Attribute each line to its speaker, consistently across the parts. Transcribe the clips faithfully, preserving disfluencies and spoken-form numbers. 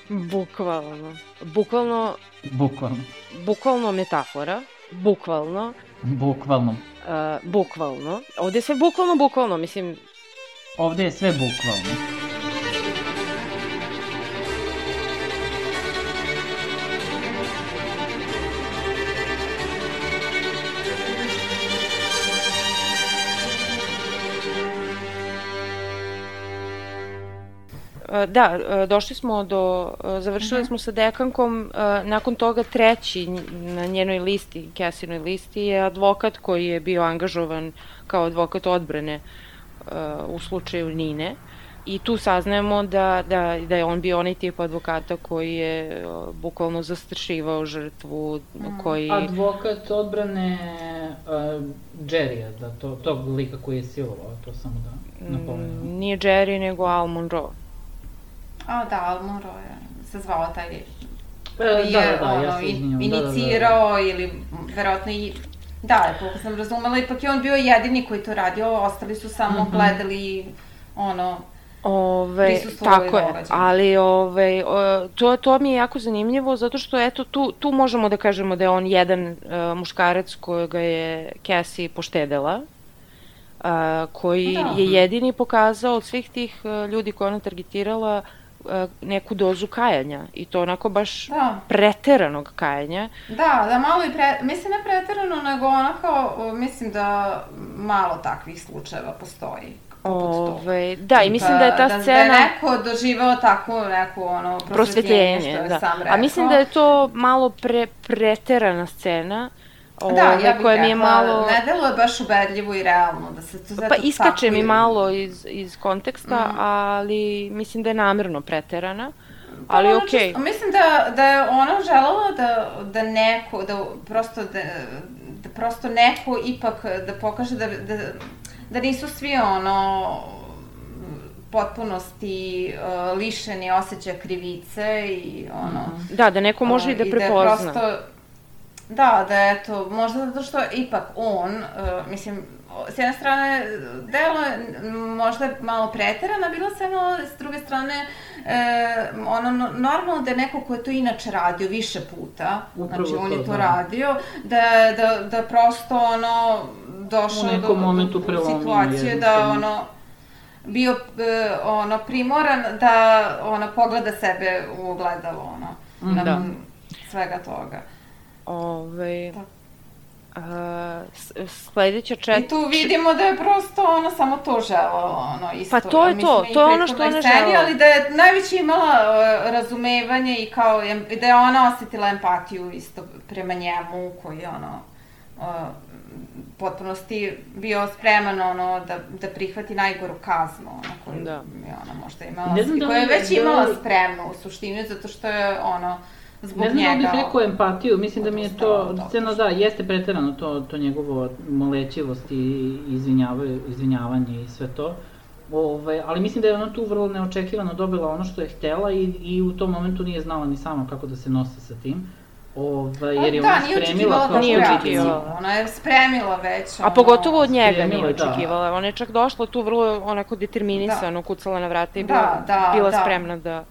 Speaker 1: Bukvalno. Bukvalno...
Speaker 2: Bukvalno.
Speaker 1: Bukvalno metafora. Bukvalno.
Speaker 2: Bukvalno.
Speaker 1: Uh, bukvalno. Ovde je sve bukvalno, bukvalno, mislim...
Speaker 2: Ovde je sve bukvalno.
Speaker 1: Da, došli smo do, završili smo sa dekankom, nakon toga treći na njenoj listi, Cassie'noj listi, je advokat koji je bio angažovan kao advokat odbrane u slučaju Nine. I tu saznajemo da, da, da je on bio onaj tip advokata koji je bukvalno zastrašivao žrtvu, koji...
Speaker 2: Advokat odbrane uh, Jerrya, da, to, tog lika koji je silovao, to samo da napomenem.
Speaker 1: Nije Jerry, nego Al Monroe.
Speaker 3: A, da, Al Monroe se zvao taj
Speaker 2: e, je, da, da, da, ono, ja se izvinjam,
Speaker 3: inicirao
Speaker 2: da, da, da.
Speaker 3: Ili verovatno i... Da, koliko sam razumela, ipak je on bio jedini koji to radio, ostali su samo mm-hmm. gledali, ono,
Speaker 1: Ove, tako je, ali ove, to, to mi je jako zanimljivo zato što eto tu, tu možemo da kažemo da je on jedan uh, muškarac kojega je Cassie poštedela, uh, koji da. je jedini pokazao od svih tih uh, ljudi koje ona targetirala uh, neku dozu kajanja i to onako baš da. preteranog kajanja.
Speaker 3: Da, da malo i pre, mislim ne preterano, nego onako mislim da malo takvih slučajeva postoji.
Speaker 1: Ove, da, i mislim da je ta
Speaker 3: da,
Speaker 1: scena...
Speaker 3: Da je neko doživao takvu neku ono, prosvetljenje, što je
Speaker 1: da.
Speaker 3: sam rekao.
Speaker 1: A mislim da je to malo pre, preterana scena. Ove,
Speaker 3: da, ja bih
Speaker 1: koja
Speaker 3: rekla,
Speaker 1: mi je malo...
Speaker 3: ne deluje baš ubedljivo i realno. Da se to
Speaker 1: pa iskače mi malo iz, iz konteksta, mm. ali mislim da je namerno preterana.
Speaker 3: Pa
Speaker 1: ali
Speaker 3: ono
Speaker 1: okej.
Speaker 3: Okay. Mislim da, da je ona želela da, da neko, da prosto, da, da prosto neko ipak da pokaže da, da da nisu svi ono potpunosti uh, lišeni osjećaja krivice i ono...
Speaker 1: Da, da neko može uh, i da prepozna. I da prosto,
Speaker 3: da, da eto, možda zato što ipak on, uh, mislim, s jedne strane, delo je možda malo preterana bila scena, ali s druge strane, e, ono, normalno da je neko ko je to inače radio više puta, upravo znači on je to da. radio, da, da, da prosto ono, došao do, do, do situacije da ono, bio e, ono, primoran da ono, pogleda sebe u ogledalo, ono, mm, nakon da. svega toga.
Speaker 1: Ove... Tako. Uh, sledeća čet...
Speaker 3: I tu vidimo da je prosto ona samo to želela, ono, isto.
Speaker 1: Pa to je to, to je ono što ona želela.
Speaker 3: Ali da je najveće imala uh, razumevanje i kao, da je ona osetila empatiju isto prema njemu, koji je ono, uh, potpunosti bio spreman, ono, da, da prihvati najgoru kaznu, ono, koju da. je ona možda imala, da koja je već da... imala spremnu u suštini, zato što je, ono, zbog
Speaker 2: ne znam
Speaker 3: njega...
Speaker 2: da bih rekao empatiju, mislim da mi je to, scena da, jeste preterano to, to njegovo molećivost i izvinjavanje i sve to, Ove, ali mislim da je ona tu vrlo neočekivano dobila ono što je htela i, i u tom momentu nije znala ni sama kako da se nosi sa tim. Ove, jer je
Speaker 3: da,
Speaker 2: ona spremila kao
Speaker 1: nije očekivala.
Speaker 3: Ona je spremila već. Ono,
Speaker 1: a pogotovo od njega
Speaker 2: spremila,
Speaker 1: nije očekivala. Da. Ona je čak došla tu vrlo onako determinisano, da. kucala na vrata i bila, da, da, bila da. spremna da...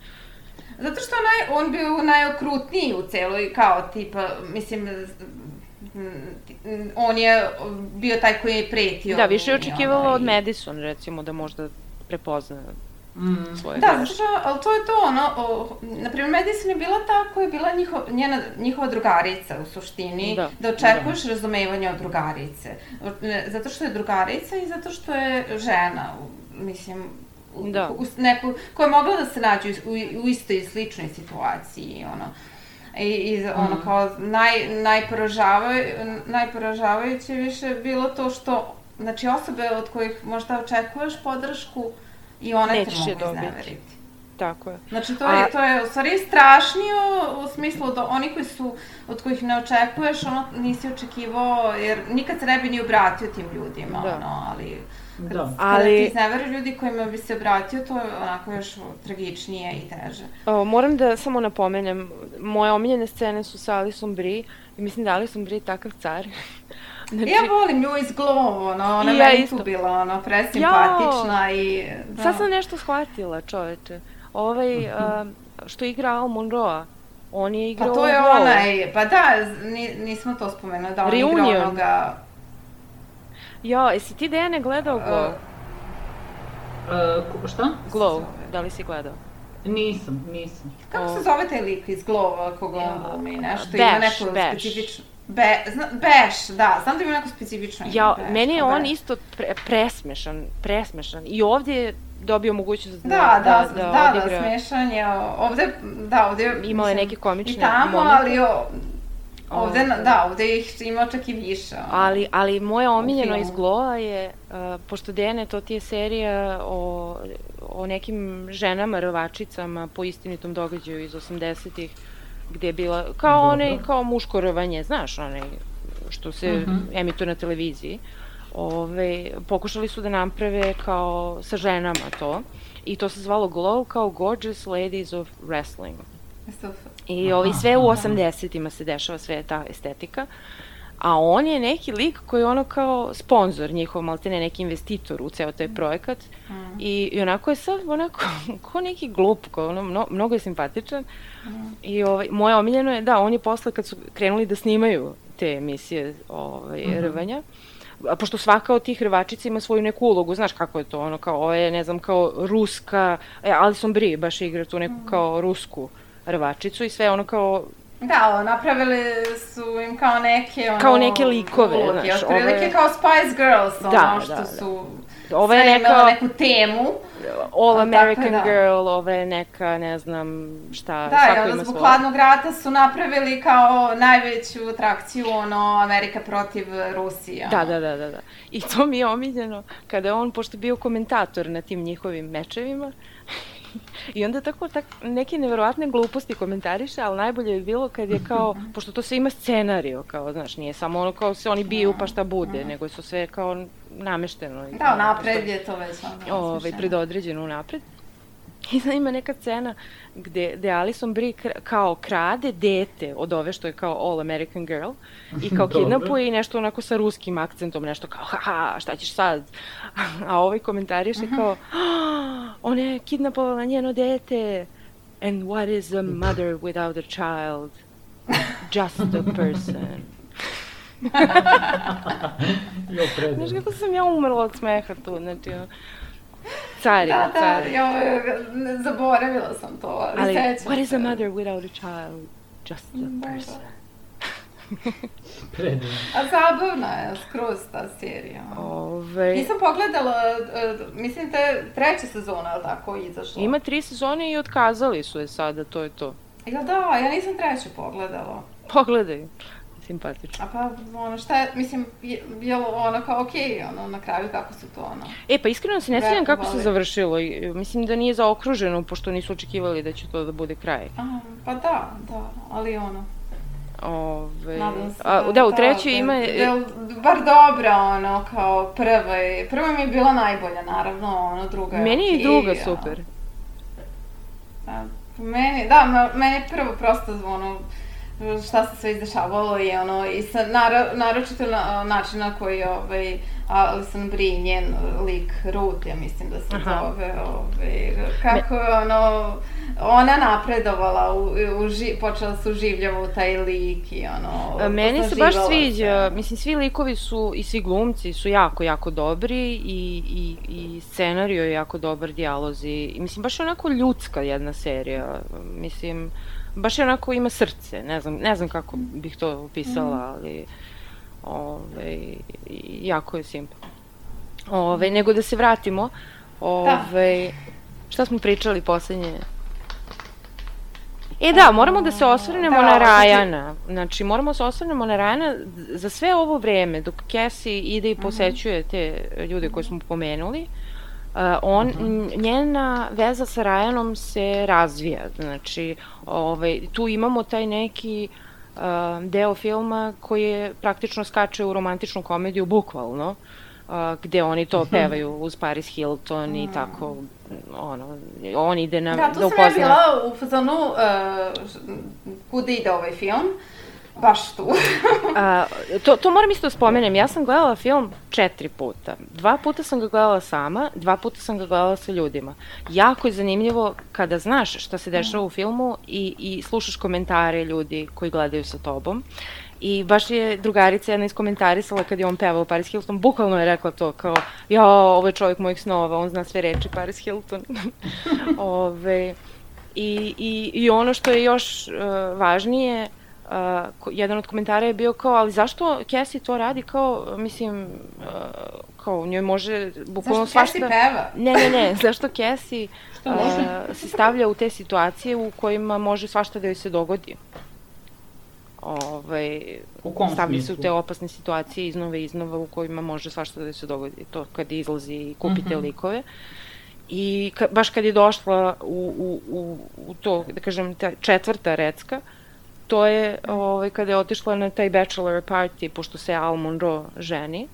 Speaker 3: Zato što onaj, on bio najokrutniji u celoj, kao tipa, mislim, on je bio taj koji je pretio.
Speaker 1: Da, više je očekivala od Madison, recimo, da možda prepozna mm. svoje
Speaker 3: da,
Speaker 1: greške.
Speaker 3: Da, ali to je to, ono, o, naprimjer, Madison je bila ta koja je bila njiho, njena, njihova drugarica u suštini, da, da očekuješ da. razumevanje od drugarice. Zato što je drugarica i zato što je žena, mislim, da. U, neku, koja je mogla da se nađe u, u istoj i sličnoj situaciji, ono. I, i ono, mm. kao, naj, najporažavajuće, najporažavajuće više bilo to što, znači, osobe od kojih možda očekuješ podršku i one te mogu izneveriti.
Speaker 1: Tako je.
Speaker 3: Znači, to je, A... to je u stvari strašnije u smislu da oni koji su, od kojih ne očekuješ, ono, nisi očekivao, jer nikad se ne bi ni obratio tim ljudima, da. ono, ali... Kad, da. Kada ali... ti izneveraju ljudi kojima bi se obratio, to je onako još tragičnije i teže.
Speaker 1: O, moram da samo napomenem, moje omiljene scene su sa Alison Brie i mislim da Alison Brie je takav car.
Speaker 3: Znači... Ja volim nju iz Glow, ono, ona ja meni isto. tu bila, ono, presimpatična i...
Speaker 1: Da. Sad sam nešto shvatila, čoveče. Ovaj, uh, što igra Al Monroe, on je igrao...
Speaker 3: Pa to je onaj, pa da, nismo to spomenuli, da on igra onoga...
Speaker 1: Jo, jesi ti Dejane gledao Glow?
Speaker 2: Uh, šta?
Speaker 1: Glow, da li si gledao?
Speaker 2: Nisam, nisam.
Speaker 3: Kako se zove taj lik iz Glow, koga on glumi, nešto, ima neko specifično... Beš, da, znam da ima neko specifično ime.
Speaker 1: Ja, meni je on isto presmešan, presmešan. I ovdje je dobio mogućnost da odigra...
Speaker 3: Da, da, da, smešan je. Ovde, da, ovde...
Speaker 1: Imao je neke komične
Speaker 3: momente. I tamo, ali ovde, da, ovde ih ima čak i više.
Speaker 1: Ali, ali moje omiljeno iz Glowa je, pošto Dene, to ti je serija o, o nekim ženama, rvačicama po istinitom događaju iz osamdesetih, gde je bila, kao onaj, kao muško rvanje, znaš, onaj, što se emituje na televiziji. Ove, pokušali su da naprave kao sa ženama to, i to se zvalo Glow, kao Gorgeous Ladies of Wrestling. I ovi, sve u osamdesetima se dešava, sve ta estetika, a on je neki lik koji je ono kao sponsor njihov, maltene neki investitor u ceo taj projekat, i, i onako je sad onako, ko neki glup, ko ono, mno, mnogo je simpatičan, i ovaj, moje omiljeno je, da, on je posle kad su krenuli da snimaju te emisije ovaj, rvanja, a pošto svaka od tih rvačica ima svoju neku ulogu, znaš kako je to, ono kao, ovo je, ne znam, kao ruska, e, Alison Brie baš igra tu neku kao rusku rvačicu i sve ono kao...
Speaker 3: Da, napravili su im kao neke, ono...
Speaker 1: Kao neke likove, ulogi, znaš.
Speaker 3: Otprilike ove... kao Spice Girls, ono, da, što da, su... Da. Sve je neka... imalo neku temu.
Speaker 1: All American da. Girl, ove je neka, ne znam šta,
Speaker 3: da, svako ima svoje. Da, i onda zbog Hladnog rata su napravili kao najveću atrakciju, ono, Amerika protiv Rusije.
Speaker 1: Da, da, da, da, da. I to mi je omiljeno, kada on, pošto je bio komentator na tim njihovim mečevima, i onda tako tak, neke neverovatne gluposti komentariše, ali najbolje je bilo kad je kao, pošto to sve ima scenario, kao, znaš, nije samo ono kao se oni biju pa šta bude, nego su sve kao namešteno.
Speaker 3: Da, napred je to već ono.
Speaker 1: Ove, predodređeno napred. I sad ima neka scena gde, gde Alison Brie kao krade dete od ove što je kao All American Girl i kao kidnapuje i nešto onako sa ruskim akcentom, nešto kao haha, šta ćeš sad? A ovaj komentariše kao ona je kidnapovala njeno dete. And what is a mother without a child? Just a person. Znaš kako sam ja umrla od smeha tu, znači ono. Cari,
Speaker 3: da, da,
Speaker 1: cari.
Speaker 3: Ja, zaboravila sam to, ali, ali sećam.
Speaker 1: What is a mother without a child? Just a person.
Speaker 2: Predivno.
Speaker 3: A zabavna je skroz ta serija.
Speaker 1: Ove...
Speaker 3: Nisam pogledala, mislim te treća sezona, ali tako, izašla.
Speaker 1: Ima tri sezone i otkazali su je sada, to je to.
Speaker 3: Jel da, ja nisam treću pogledala.
Speaker 1: Pogledaj. Simpatično.
Speaker 3: A pa, ono, šta je, mislim, je, je ono kao okej, okay, ono, na kraju kako su to, ono...
Speaker 1: E, pa iskreno se ne sviđam kako se završilo. Mislim da nije zaokruženo, pošto nisu očekivali da će to da bude kraj.
Speaker 3: Aha, pa da, da, ali ono...
Speaker 1: Ove...
Speaker 3: Nadam se
Speaker 1: A,
Speaker 3: da,
Speaker 1: da, u trećoj ima...
Speaker 3: Da je bar dobra, ono, kao prva. Prva mi je bila najbolja, naravno, ono, druga je
Speaker 1: meni je i druga super.
Speaker 3: Da, meni, da, meni je prvo prosto, ono, šta se sve izdešavalo i ono, i sa, naro, naročito na, način na koji ovaj, Alison Brie, njen lik Ruth, ja mislim da se Aha. zove, ovaj, kako je ono, ona napredovala, u, u, ži, počela se uživljava u taj lik i ono,
Speaker 1: meni se baš sviđa, mislim, svi likovi su i svi glumci su jako, jako dobri i, i, i scenario je jako dobar, dijalozi, i mislim, baš je onako ljudska jedna serija, mislim, baš je onako ima srce, ne znam, ne znam kako bih to opisala, ali ove, jako je simpatno. Ove, nego da se vratimo, ove, šta smo pričali poslednje? E da, moramo da se osvrnemo da, na Ryana, znači moramo se osvrnemo na Ryana za sve ovo vreme, dok Cassie ide i posećuje te ljude koje smo pomenuli. Uh, on, uh-huh. njena veza sa Ryanom se razvija, znači ovaj, tu imamo taj neki uh, deo filma koji je praktično skače u romantičnu komediju, bukvalno, uh, gde oni to pevaju uz Paris Hilton i tako, ono, on ide na,
Speaker 3: da,
Speaker 1: da upozna...
Speaker 3: Da, tu sam ja bila u fazonu uh, kuda ide ovaj film. baš tu.
Speaker 1: A, to, to moram isto da spomenem, ja sam gledala film četiri puta. Dva puta sam ga gledala sama, dva puta sam ga gledala sa ljudima. Jako je zanimljivo kada znaš šta se dešava u filmu i, i slušaš komentare ljudi koji gledaju sa tobom. I baš je drugarica jedna iskomentarisala kad je on pevao Paris Hilton, bukvalno je rekla to kao, ja, ovo je čovjek mojih snova, on zna sve reči Paris Hilton. Ove, i, i, I ono što je još uh, važnije, Uh, jedan od komentara je bio kao, ali zašto Cassie to radi kao, mislim, uh, kao njoj može bukvalno svašta...
Speaker 3: Zašto Cassie peva?
Speaker 1: Ne, ne, ne, zašto Cassie uh, se stavlja u te situacije u kojima može svašta da joj se dogodi. Ovaj, stavlja se u te opasne situacije iznova i iznova u kojima može svašta da joj se dogodi. To kad izlazi i kupite uh-huh. likove. I ka, baš kad je došla u, u, u, u to, da kažem, ta četvrta recka, to je ovaj, kada je otišla na taj bachelor party, pošto se Al Monroe ženi.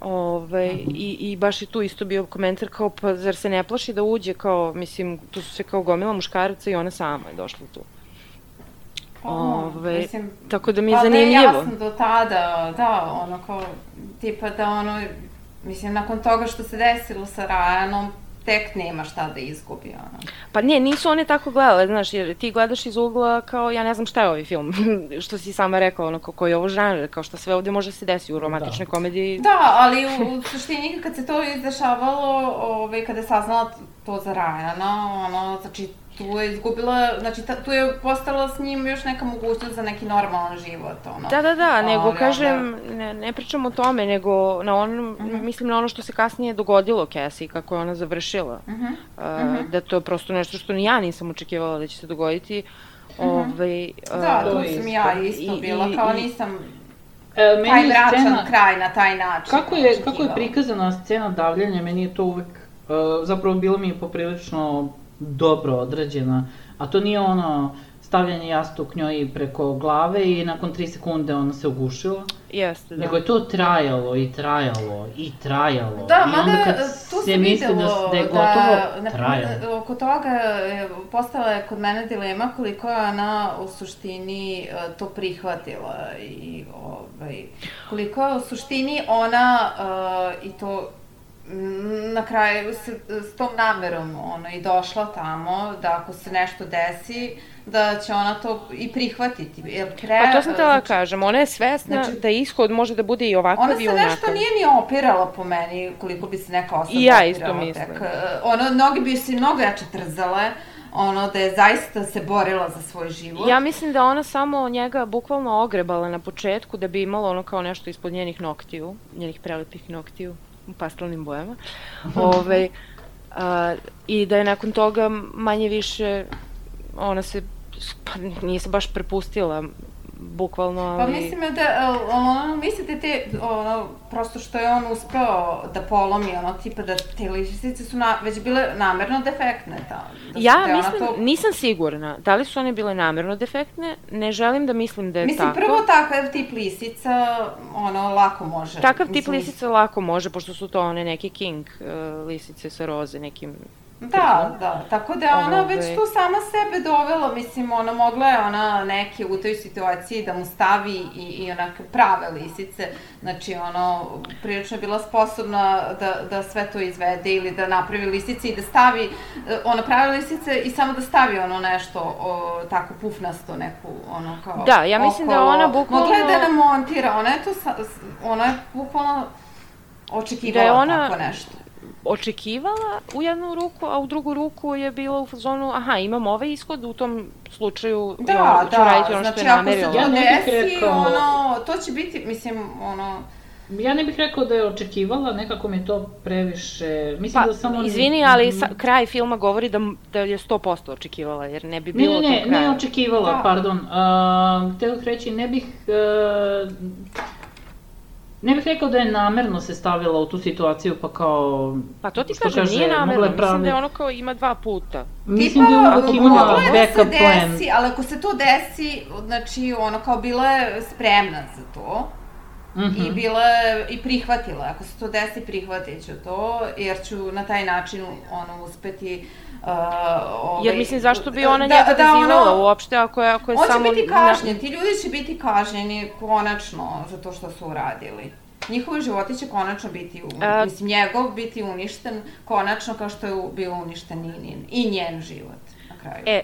Speaker 1: Ovaj, uh-huh. i, I baš je tu isto bio komentar kao, pa zar se ne plaši da uđe, kao, mislim, tu su se kao gomila muškaraca i ona sama je došla tu. Ove, mislim, tako da mi je pa zanimljivo.
Speaker 3: Pa da je jasno do tada, da, ono kao, tipa da ono, mislim, nakon toga što se desilo sa Ryanom, tek nema šta da izgubi, ono.
Speaker 1: Pa ne, nisu one tako gledale, znaš, jer ti gledaš iz ugla kao, ja ne znam šta je ovaj film, što si sama rekla, ono, koji je ovo žanr, kao što sve ovde može se desiti u romantičnoj da. komediji.
Speaker 3: Da, ali u, u suštini kad se to izdešavalo, ovaj, kada je saznala to za Ryana, ono, znači, tu je izgubila, znači ta, tu je postala s njim još neka mogućnost za neki normalan život, ono.
Speaker 1: Da, da, da, nego ali, kažem, onda... ne, ne pričam o tome, nego na onom, uh-huh. mislim na ono što se kasnije dogodilo Cassie, kako je ona završila. Uh-huh. Uh, uh-huh. Da to je prosto nešto što ni ja nisam očekivala da će se dogoditi. Uh-huh. Ove, uh,
Speaker 3: da, tu sam ja isto bila, kao nisam... E, meni taj mračan scena, kraj na taj način.
Speaker 2: Kako je, kako je prikazana scena davljanja, meni je to uvek, uh, zapravo bilo mi je poprilično dobro odrađena, a to nije ono stavljanje jastuk njoj preko glave i nakon tri sekunde ona se ugušila.
Speaker 1: Jeste, da.
Speaker 2: Nego je to trajalo i trajalo i trajalo.
Speaker 3: Da,
Speaker 2: i onda kad
Speaker 3: tu
Speaker 2: se misli da, da je gotovo, da, trajalo.
Speaker 3: Oko toga je postala je kod mene dilema koliko je ona u suštini to prihvatila i ovaj, koliko je u suštini ona uh, i to na kraju s, s tom namerom ono, i došla tamo da ako se nešto desi, da će ona to i prihvatiti. Jer pre,
Speaker 1: pa to sam tela znači, kažem, ona je svesna znači, da ishod može da bude i ovakav i onakav.
Speaker 3: Ona se nešto nije ni opirala po meni, koliko bi se neka osoba
Speaker 1: I ja
Speaker 3: opirala.
Speaker 1: isto mislim.
Speaker 3: Tek. Ono, mnogi bi se mnogo jače trzale, ono da je zaista se borila za svoj život.
Speaker 1: Ja mislim da ona samo njega bukvalno ogrebala na početku da bi imala ono kao nešto ispod njenih noktiju, njenih prelepih noktiju u pastelnim bojama. Ove, a, I da je nakon toga manje više ona se, pa nije se baš prepustila, bukvalno, ali...
Speaker 3: Pa mislim da, ono, mislite te, ono, prosto što je on uspeo da polomi, ono, tipa da te lisice su na, već bile namerno defektne, da, da
Speaker 1: ja mislim, to... nisam sigurna, da li su one bile namerno defektne, ne želim da mislim da je
Speaker 3: mislim,
Speaker 1: tako.
Speaker 3: Mislim, prvo takav tip lisica, ono, lako može.
Speaker 1: Takav tip
Speaker 3: mislim,
Speaker 1: lisica lako može, pošto su to one neke king uh, lisice sa roze, nekim...
Speaker 3: Da, da, tako da ona Ove... već tu sama sebe dovela, mislim, ona mogla je ona neke u toj situaciji da mu stavi i, i onake prave lisice, znači ono, prilično je bila sposobna da, da sve to izvede ili da napravi lisice i da stavi, ona prave lisice i samo da stavi ono nešto, o, tako pufnasto neku, ono kao
Speaker 1: da, ja mislim
Speaker 3: okolo.
Speaker 1: Da ona bukvalno...
Speaker 3: Mogla je da namontira, ona je to, ona je bukvalno očekivala da ona... tako nešto.
Speaker 1: Očekivala u jednu ruku, a u drugu ruku je bila u fazonu, aha, imam ovaj ishod, u tom slučaju
Speaker 3: da,
Speaker 1: ja, ću
Speaker 3: da,
Speaker 1: raditi ono
Speaker 3: znači,
Speaker 1: što je namerila.
Speaker 3: Ja ne bih rekao... ono, to će biti, mislim, ono...
Speaker 2: Ja ne bih rekao da je očekivala, nekako mi je to previše... Mislim
Speaker 1: pa,
Speaker 2: da samo...
Speaker 1: izvini, ali sa, kraj filma govori da, da je sto posto očekivala, jer ne bi bilo
Speaker 2: ne, ne,
Speaker 1: tog kraja.
Speaker 2: Ne, ne, očekivala, da. Pardon. Uh, htjela bih reći, ne bih... Uh, Ne bih rekao da je namerno se stavila u tu situaciju, pa kao...
Speaker 1: Pa to ti kažem, nije namerno, mislim da je ono kao ima dva puta.
Speaker 2: Mislim da je uvijek imala backup plan.
Speaker 3: Desi, ali ako se to desi, znači ono kao bila je spremna za to. Mm-hmm. I bila je, i prihvatila, ako se to desi prihvatit ću to, jer ću na taj način ono uspeti Uh, ovaj,
Speaker 1: Jer mislim, zašto bi ona da, njega da, vezivala ono, uopšte ako je, ako je
Speaker 3: on
Speaker 1: samo...
Speaker 3: On će biti kažnjen, ti ljudi će biti kažnjeni konačno za to što su uradili. Njihovi životi će konačno biti, A... mislim, njegov biti uništen konačno kao što je bio uništen i, i njen život na kraju.
Speaker 1: E,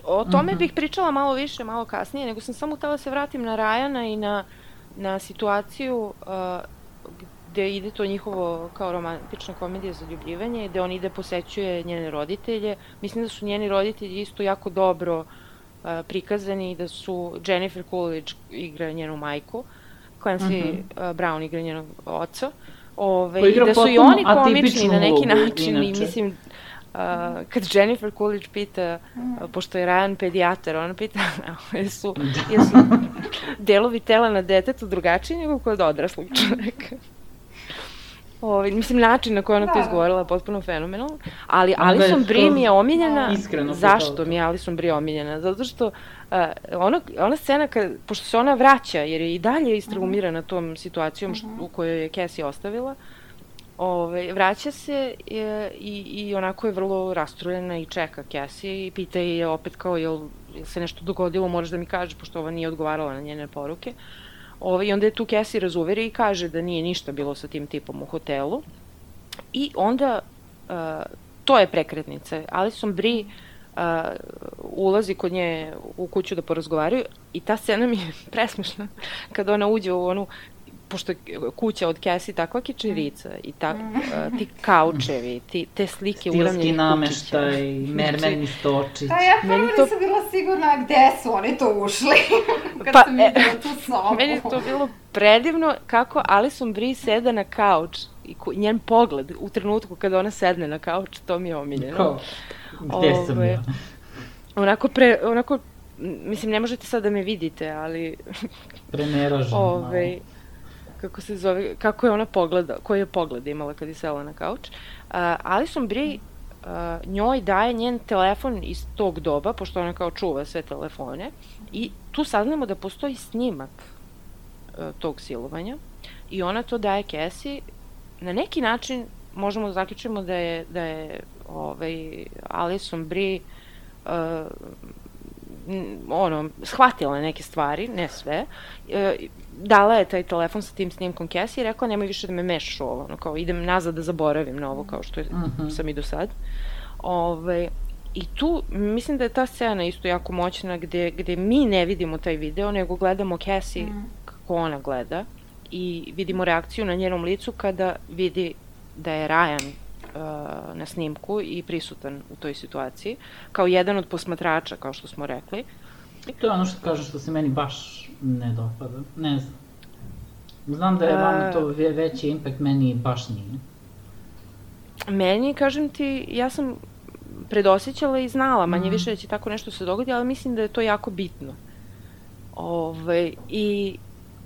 Speaker 1: o tome mm-hmm. bih pričala malo više, malo kasnije, nego sam samo htela se vratim na Ryana i na, na situaciju uh, gde ide to njihovo kao romantična komedija za ljubljivanje, gde on ide posećuje njene roditelje. Mislim da su njeni roditelji isto jako dobro uh, prikazani i da su Jennifer Coolidge igra njenu majku, Clancy mm-hmm. uh, Brown igra njenog oca. Ove, i da su i oni komični na neki način inače. I mislim, uh, kad Jennifer Coolidge pita, uh, pošto je Ryan pedijatar, ona pita jesu, jesu delovi tela na detetu drugačiji nego kod odraslog čoveka. Ove, mislim, način na koji ona da. to izgovorila je potpuno fenomenalno, ali Alison Brie mi je omiljena. Zašto mi je Alison Brie omiljena? Zato što uh, ono, ona scena, kad, pošto se ona vraća, jer je i dalje istraumirana uh-huh. tom situacijom što, u kojoj je Cassie ostavila, ove, vraća se je, i, i onako je vrlo rastrojena i čeka Cassie i pita je opet kao, jel, jel se nešto dogodilo, moraš da mi kažeš, pošto ova nije odgovarala na njene poruke. Ove, I onda je tu Cassie razuveri i kaže da nije ništa bilo sa tim tipom u hotelu. I onda, uh, to je prekretnica. Alison Brie uh, ulazi kod nje u kuću da porazgovaraju i ta scena mi je presmešna kada ona uđe u onu, pošto je kuća od Cassie takva kičerica i ta, uh, ti kaučevi, ti, te slike uramljenih kućića. Stilski nameštaj,
Speaker 2: mermerni stočić.
Speaker 3: Da, ja prvo to... nisam bila sigurna gde su oni to ušli, kad pa, sam videla tu sobu.
Speaker 1: Meni je to bilo predivno kako Alison Brie seda na kauč i ko, njen pogled u trenutku kada ona sedne na kauč, to mi je omiljeno.
Speaker 2: Ko? Gde Ove, sam ja?
Speaker 1: Onako, pre, onako, mislim, ne možete sad da me vidite, ali...
Speaker 2: Prenerožen.
Speaker 1: Ove, kako se zove, kako je ona pogleda, koji je pogled imala kad je sela na kauč. Uh, Alison Brie uh, njoj daje njen telefon iz tog doba, pošto ona kao čuva sve telefone, i tu saznamo da postoji snimak uh, tog silovanja i ona to daje Cassie. Na neki način možemo da zaključimo da je, da je ovaj, Alison Brie uh, ono, shvatila neke stvari, ne sve, e, dala je taj telefon sa tim snimkom Cassie i rekla nemoj više da me mešaš u ovo, ono, kao idem nazad da zaboravim na ovo kao što je, uh-huh. sam i do sad. Ove, I tu mislim da je ta scena isto jako moćna gde, gde mi ne vidimo taj video, nego gledamo Cassie uh-huh. kako ona gleda i vidimo reakciju na njenom licu kada vidi da je Ryan uh, na snimku i prisutan u toj situaciji, kao jedan od posmatrača, kao što smo rekli.
Speaker 2: To je ono što kažem što se meni baš ne dopada, ne znam. Znam da je vama to veći impact, meni baš nije.
Speaker 1: Meni, kažem ti, ja sam predosjećala i znala manje mm. više da će tako nešto se dogodi, ali mislim da je to jako bitno. Ove, i,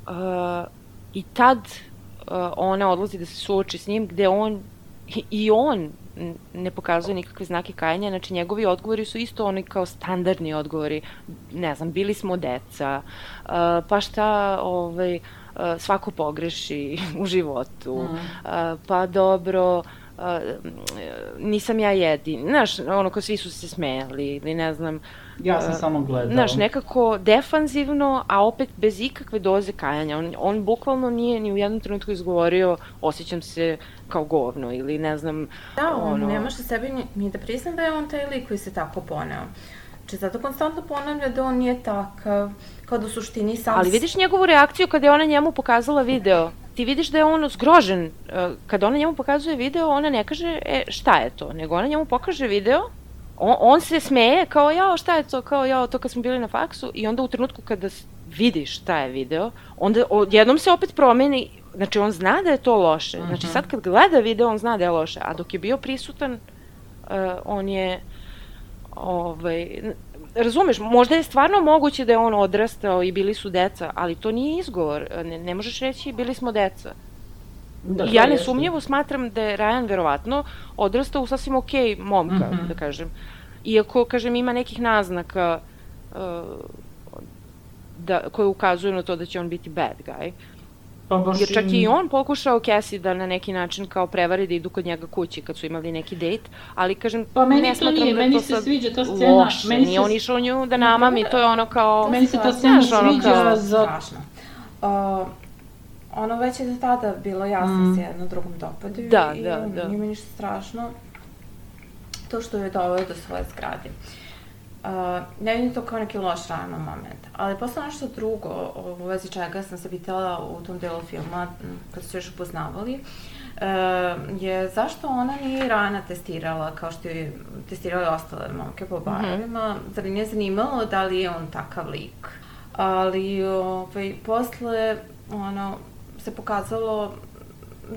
Speaker 1: uh, I tad uh, ona odlazi da se suoči s njim, gde on, i, i on ne pokazuje nikakve znake kajanja, znači njegovi odgovori su isto oni kao standardni odgovori, ne znam, bili smo deca, uh, pa šta, ovaj, uh, svako pogreši u životu, mm. uh, pa dobro, Uh, nisam ja jedin, znaš, ono ko svi su se smejali ili ne znam.
Speaker 2: Ja sam uh, samo gledao.
Speaker 1: Znaš, nekako defanzivno, a opet bez ikakve doze kajanja. On, on bukvalno nije ni u jednom trenutku izgovorio osjećam se kao govno ili ne znam.
Speaker 3: Da, on ono... ne može sebi ni, ni da prizna da je on taj lik koji se tako poneo. Znači, zato konstantno ponavlja da on nije takav, kao da u suštini sam...
Speaker 1: Ali vidiš njegovu reakciju kada je ona njemu pokazala video. Ti vidiš da je on zgrožen. Kada ona njemu pokazuje video, ona ne kaže, e, šta je to? Nego ona njemu pokaže video, on, on se smeje kao, jao, šta je to? Kao, jao, to kad smo bili na faksu. I onda u trenutku kada vidiš šta je video, onda odjednom se opet promeni. Znači, on zna da je to loše. Znači, sad kad gleda video, on zna da je loše. A dok je bio prisutan, uh, on je... Ovaj, razumeš, možda je stvarno moguće da je on odrastao i bili su deca, ali to nije izgovor. Ne, ne možeš reći bili smo deca. Da, ja nesumnjivo smatram da je Ryan verovatno odrastao u sasvim okej momka, mm-hmm. da kažem. Iako, kažem, ima nekih naznaka uh, da, koje ukazuju na to da će on biti bad guy.
Speaker 2: Pa baš
Speaker 1: jer čak i on pokušao Cassie da na neki način kao prevari da idu kod njega kući kad su imali neki dejt, ali kažem,
Speaker 2: pa meni to nije, meni se sviđa ta scena.
Speaker 1: Loše, meni nije se... on išao nju da namami, to je ono kao...
Speaker 2: Meni se ta scena sviđa za...
Speaker 3: Strašno. Uh, ono već je tada bilo jasno mm. se jedno drugom dopadaju
Speaker 1: da,
Speaker 3: i
Speaker 1: da, da.
Speaker 3: nije mi ništa strašno to što je doveo do svoje zgrade. Uh, ne vidim to kao neki loš rano moment, ali posle nešto drugo u vezi čega sam se pitala u tom delu filma kad su se još upoznavali uh, je zašto ona nije rana testirala kao što je testirala ostale momke po barovima, mm-hmm. zar nije zanimalo da li je on takav lik. Ali ovaj, posle ono, se pokazalo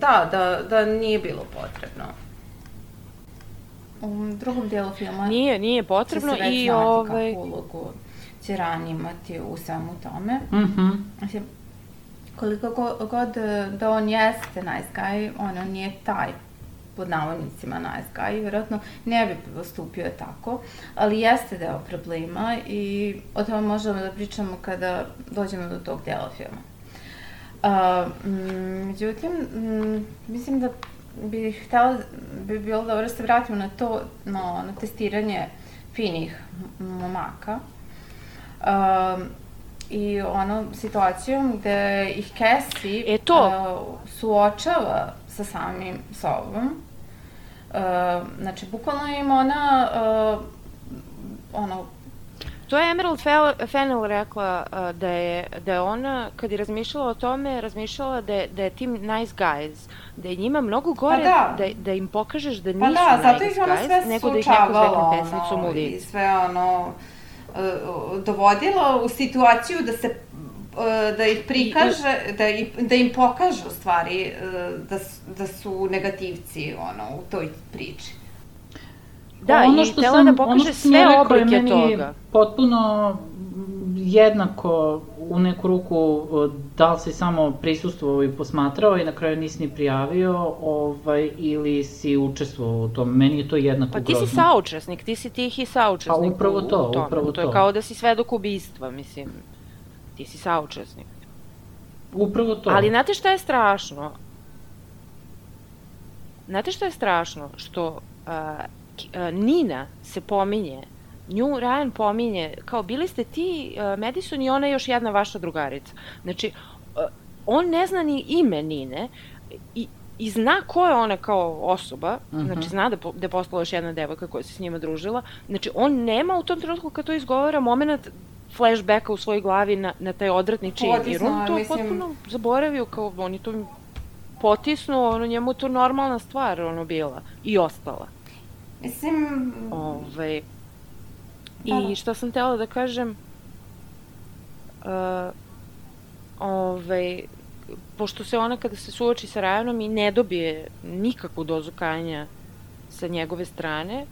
Speaker 3: da, da, da nije bilo potrebno. U drugom dijelu filma
Speaker 1: nije, nije potrebno
Speaker 3: će se već
Speaker 1: i
Speaker 3: znati
Speaker 1: ovaj...
Speaker 3: kakvu ulogu će Rani imati u svemu tome.
Speaker 2: Mm-hmm.
Speaker 3: Znači, koliko god da on jeste nice guy, ono nije taj pod navodnicima nice guy, vjerojatno ne bi postupio tako, ali jeste deo problema i o tome možemo da pričamo kada dođemo do tog dela filma. Uh, međutim, m, mislim da bih htjela, bi bilo dobro da se vratimo na to, no, na testiranje finih momaka. Uh, I ono, situacijom gde ih Cassie
Speaker 1: e to.
Speaker 3: Uh, suočava sa samim sobom. Uh, znači, bukvalno im ona, uh, ono...
Speaker 1: To je Emerald Fennell rekla uh, da, je, da je ona, kad je razmišljala o tome, razmišljala da je, da je tim nice guys, da je njima mnogo gore
Speaker 3: da.
Speaker 1: Da, da im pokažeš da nisu
Speaker 3: pa da,
Speaker 1: nice
Speaker 3: zato ih ona
Speaker 1: guys,
Speaker 3: sve
Speaker 1: nego da ih neko zvekne pesnicom
Speaker 3: ono,
Speaker 1: u lice.
Speaker 3: I sve ono, uh, dovodila u situaciju da se da ih prikaže, I, da, ih, da im pokaže u stvari da, da su negativci ono, u toj priči.
Speaker 1: Da,
Speaker 2: ono
Speaker 1: i htjela da pokaže sve oblike toga.
Speaker 2: Potpuno jednako u neku ruku da li si samo prisustvovao i posmatrao i na kraju nisi ni prijavio ovaj, ili si učestvovao u tom. Meni je to jednako grozno.
Speaker 1: Pa ti si saučesnik, ti si tihi saučesnik.
Speaker 2: A upravo to,
Speaker 1: u, u
Speaker 2: upravo to.
Speaker 1: To je kao da si svedok ubistva, mislim. Ti si saučesnik.
Speaker 2: Upravo to.
Speaker 1: Ali znate šta je strašno? Znate šta je strašno? Što uh, uh, Nina se pominje, nju Ryan pominje, kao bili ste ti, uh, Madison i ona je još jedna vaša drugarica. Znači, uh, on ne zna ni ime Nine i, i zna ko je ona kao osoba, uh-huh. znači zna da, po, da je postala još jedna devojka koja se s njima družila. Znači, on nema u tom trenutku kad to izgovara moment flashbacka u svojoj glavi na, na taj odvratni čin, jer on to mislim... potpuno zaboravio, kao on je to potisnuo, ono, njemu to normalna stvar, ono, bila i ostala.
Speaker 3: Mislim...
Speaker 1: Ove, I šta sam htjela da kažem, uh, ove, pošto se ona kada se suoči sa Ryanom i ne dobije nikakvu dozu kajanja sa njegove strane,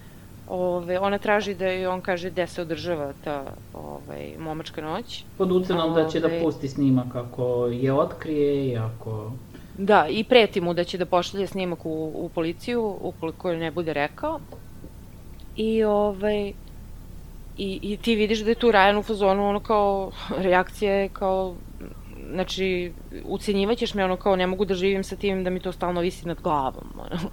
Speaker 1: Ove, ona traži da joj on kaže gde se održava ta ovaj, momačka noć.
Speaker 2: Pod ucenom da će da pusti snimak ako je otkrije i ako...
Speaker 1: Da, i preti mu da će da pošalje snimak u, u policiju ukoliko ne bude rekao. I, ovaj, i, i ti vidiš da je tu Ryan u fazonu, ono kao, reakcija je kao, znači, ucenjivaćeš me, ono kao, ne mogu da živim sa tim da mi to stalno visi nad glavom, ono.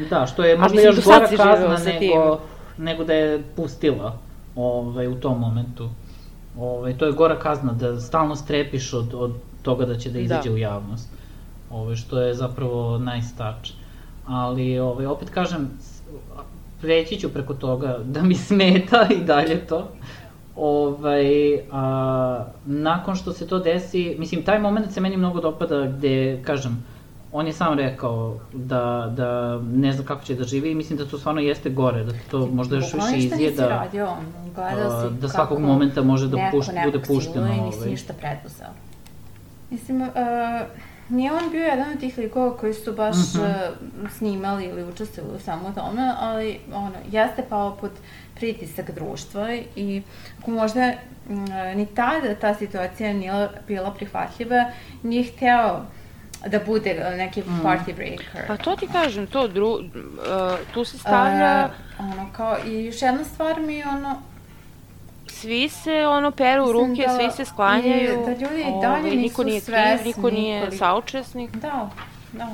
Speaker 2: Da, što je možda još gora kazna nego, nego da je pustila ovaj, u tom momentu. Ovaj, to je gora kazna, da stalno strepiš od, od toga da će da izađe da. u javnost. Ovaj, što je zapravo nice touch. Ali, ovaj, opet kažem, preći ću preko toga da mi smeta i dalje to. Ovaj, a, nakon što se to desi, mislim, taj moment se meni mnogo dopada gde, kažem, on je sam rekao da, da ne zna kako će da živi i mislim da to stvarno jeste gore, da to možda još više izjeda,
Speaker 3: radio,
Speaker 2: a, da svakog momenta može da pušt, bude pušteno.
Speaker 3: Neko nisi ništa preduzeo. Mislim, uh, nije on bio jedan od tih likova koji su baš uh-huh. uh, snimali ili učestvovali u samo tome, ali ono, jeste pao pod pritisak društva i ako možda m, ni tada ta situacija nije bila prihvatljiva, nije hteo da bude neki mm. party breaker.
Speaker 1: Pa to ti kažem, to dru, uh, tu se stavlja...
Speaker 3: Uh, ono, kao, i još jedna stvar mi je ono...
Speaker 1: svi se ono peru ruke, da, svi se sklanjaju.
Speaker 3: I da ljudi i dalje
Speaker 1: ovaj,
Speaker 3: nisu
Speaker 1: niko nije
Speaker 3: svesni.
Speaker 1: Kriv, niko nije
Speaker 3: koliko...
Speaker 1: saučesnik.
Speaker 3: Da, da.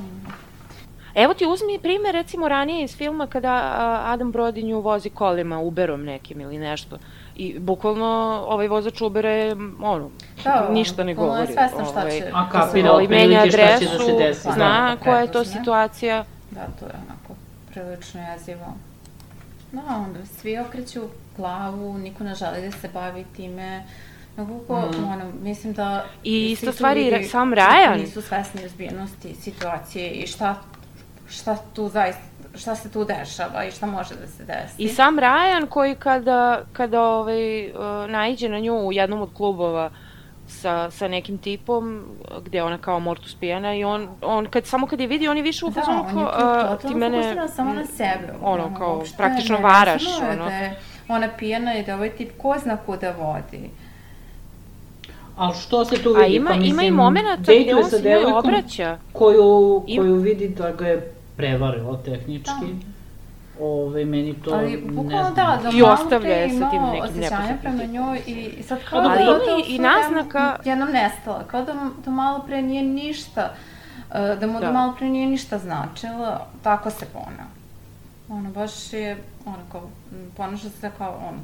Speaker 1: Evo ti uzmi primer recimo ranije iz filma kada Adam Brody nju vozi kolima, Uberom nekim ili nešto. I bukvalno ovaj vozač Ubera je, ono, da, ništa ne govori.
Speaker 3: Da, svesno šta će.
Speaker 2: A kapira otprilike šta će da se desi.
Speaker 1: Zna koja je to situacija.
Speaker 3: Da, to je onako prilično jezivo. No, onda svi okreću glavu, niko ne želi da se bavi time. Nekako, mm. ono, mislim da...
Speaker 1: I isto stvari, sam Ryan.
Speaker 3: Nisu svesni ozbiljnosti situacije i šta, šta tu zaista, šta se tu dešava i šta može da se desi.
Speaker 1: I sam Ryan koji kada, kada ovaj, uh, naiđe na nju u jednom od klubova sa, sa nekim tipom, gde ona kao mortus pijana i on, on kad, samo kad je vidi, on je više u fazonu kao...
Speaker 3: Da, on je ti mene... samo na sebe.
Speaker 1: Ono, ono kao, praktično varaš.
Speaker 3: Ono. Da je ona pijana i da ovaj tip ko zna kuda vodi.
Speaker 2: Ali što se tu vidi?
Speaker 1: A ima,
Speaker 2: pa, mislim,
Speaker 1: ima i momenta gde on se njoj obraća.
Speaker 2: Koju, koju vidi da ga je prevarilo tehnički. Da. Ove, meni to
Speaker 3: ali,
Speaker 2: ne znam.
Speaker 3: Da, da
Speaker 1: I ostavlja je sa tim nekim
Speaker 3: neposrednim prema njoj i sad kao
Speaker 1: ali
Speaker 3: da
Speaker 1: ima
Speaker 3: to
Speaker 1: i naznaka...
Speaker 3: jednom nestala, kao da, da malo pre nije ništa, da mu da, da malo pre nije ništa značilo, tako se poneo. Ono, baš je, ono, kao, ponaša se kao, on,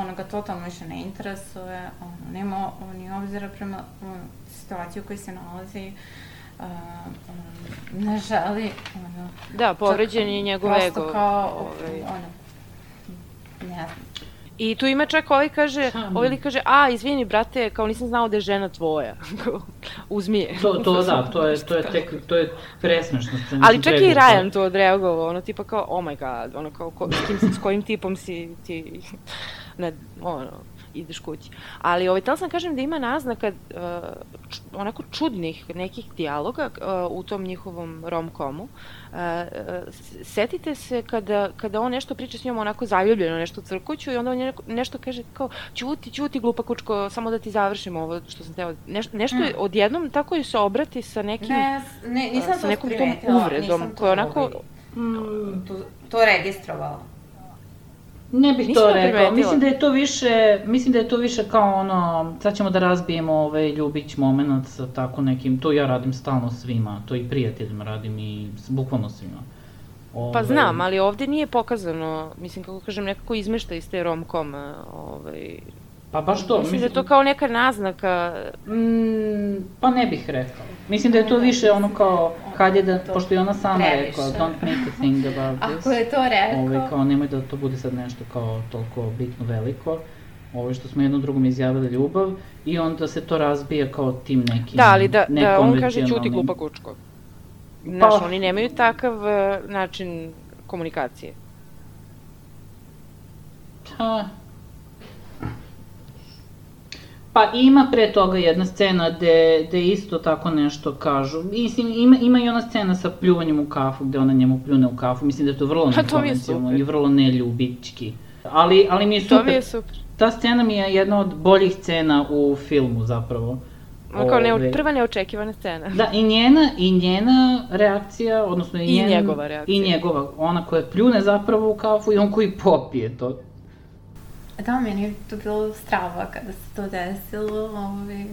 Speaker 3: ono ga totalno više ne interesuje, ono, nema ni obzira prema ono, situaciju u kojoj se nalazi, uh, um, ne želi, ono...
Speaker 1: Da, povređen je njegov ego.
Speaker 3: Prosto kao, ovaj, ono, ne znam.
Speaker 1: I tu ima čak ovaj kaže, ovaj li kaže, a, izvini, brate, kao nisam znao da je žena tvoja. Uzmi je.
Speaker 2: To, to da, to je, to je tek, to je presmešno.
Speaker 1: Ali čak i Ryan to odreagovao, ono, tipa kao, oh my god, ono, kao, ko, s, kim, s kojim tipom si ti, ne, ono, ideš kući. Ali, ovaj, tela sam kažem da ima naznaka uh, č, onako čudnih nekih dijaloga uh, u tom njihovom rom-komu. Uh, setite se kada, kada on nešto priča s njom onako zaljubljeno, nešto crkuću i onda on nešto kaže kao ćuti, ćuti glupa kučko, samo da ti završim ovo što sam teo. Neš, nešto mm. odjednom tako je se obrati sa nekim,
Speaker 3: ne, ne, nisam
Speaker 1: sa nekom tom uvredom koja onako...
Speaker 3: Mm, to, to registrovala.
Speaker 2: Ne bih Nisam to rekao, mislim da je to više, mislim da je to više kao ono, sad ćemo da razbijemo ovaj ljubić moment sa tako nekim, to ja radim stalno svima, to i prijateljima radim i bukvalno svima.
Speaker 1: Ove... Pa znam, ali ovde nije pokazano, mislim kako kažem, nekako izmešta iz te rom-koma, ovaj...
Speaker 2: Pa baš to,
Speaker 1: mislim... Mislim da je to kao neka naznaka...
Speaker 2: Mm, pa ne bih rekao. Mislim da je to više ono kao, hajde da, pošto je ona sama rekla, don't make a thing about this.
Speaker 3: Ako je to rekao...
Speaker 2: Ove, kao, nemoj da to bude sad nešto kao toliko bitno veliko. Ovo što smo jednom drugom izjavili ljubav i onda se to razbija kao tim nekim...
Speaker 1: Da, ali da, da on kaže ćuti glupa kučko. Znaš, pa, oni nemaju takav uh, način komunikacije.
Speaker 2: Ha... Pa ima pre toga jedna scena gde, gde isto tako nešto kažu. Mislim, ima, ima i ona scena sa pljuvanjem u kafu, gde ona njemu pljune u kafu. Mislim da je to vrlo nekonvencionalno i vrlo neljubički. Ali, ali mi je super.
Speaker 1: To mi je super.
Speaker 2: Ta scena mi je jedna od boljih scena u filmu zapravo.
Speaker 1: Kao ne, prva neočekivana scena.
Speaker 2: Da, i njena, i njena reakcija, odnosno i,
Speaker 1: I
Speaker 2: njen,
Speaker 1: njegova reakcija.
Speaker 2: I njegova, ona koja pljune zapravo u kafu i on koji popije to.
Speaker 3: Da, meni je to bilo strava kada se to desilo, ovaj,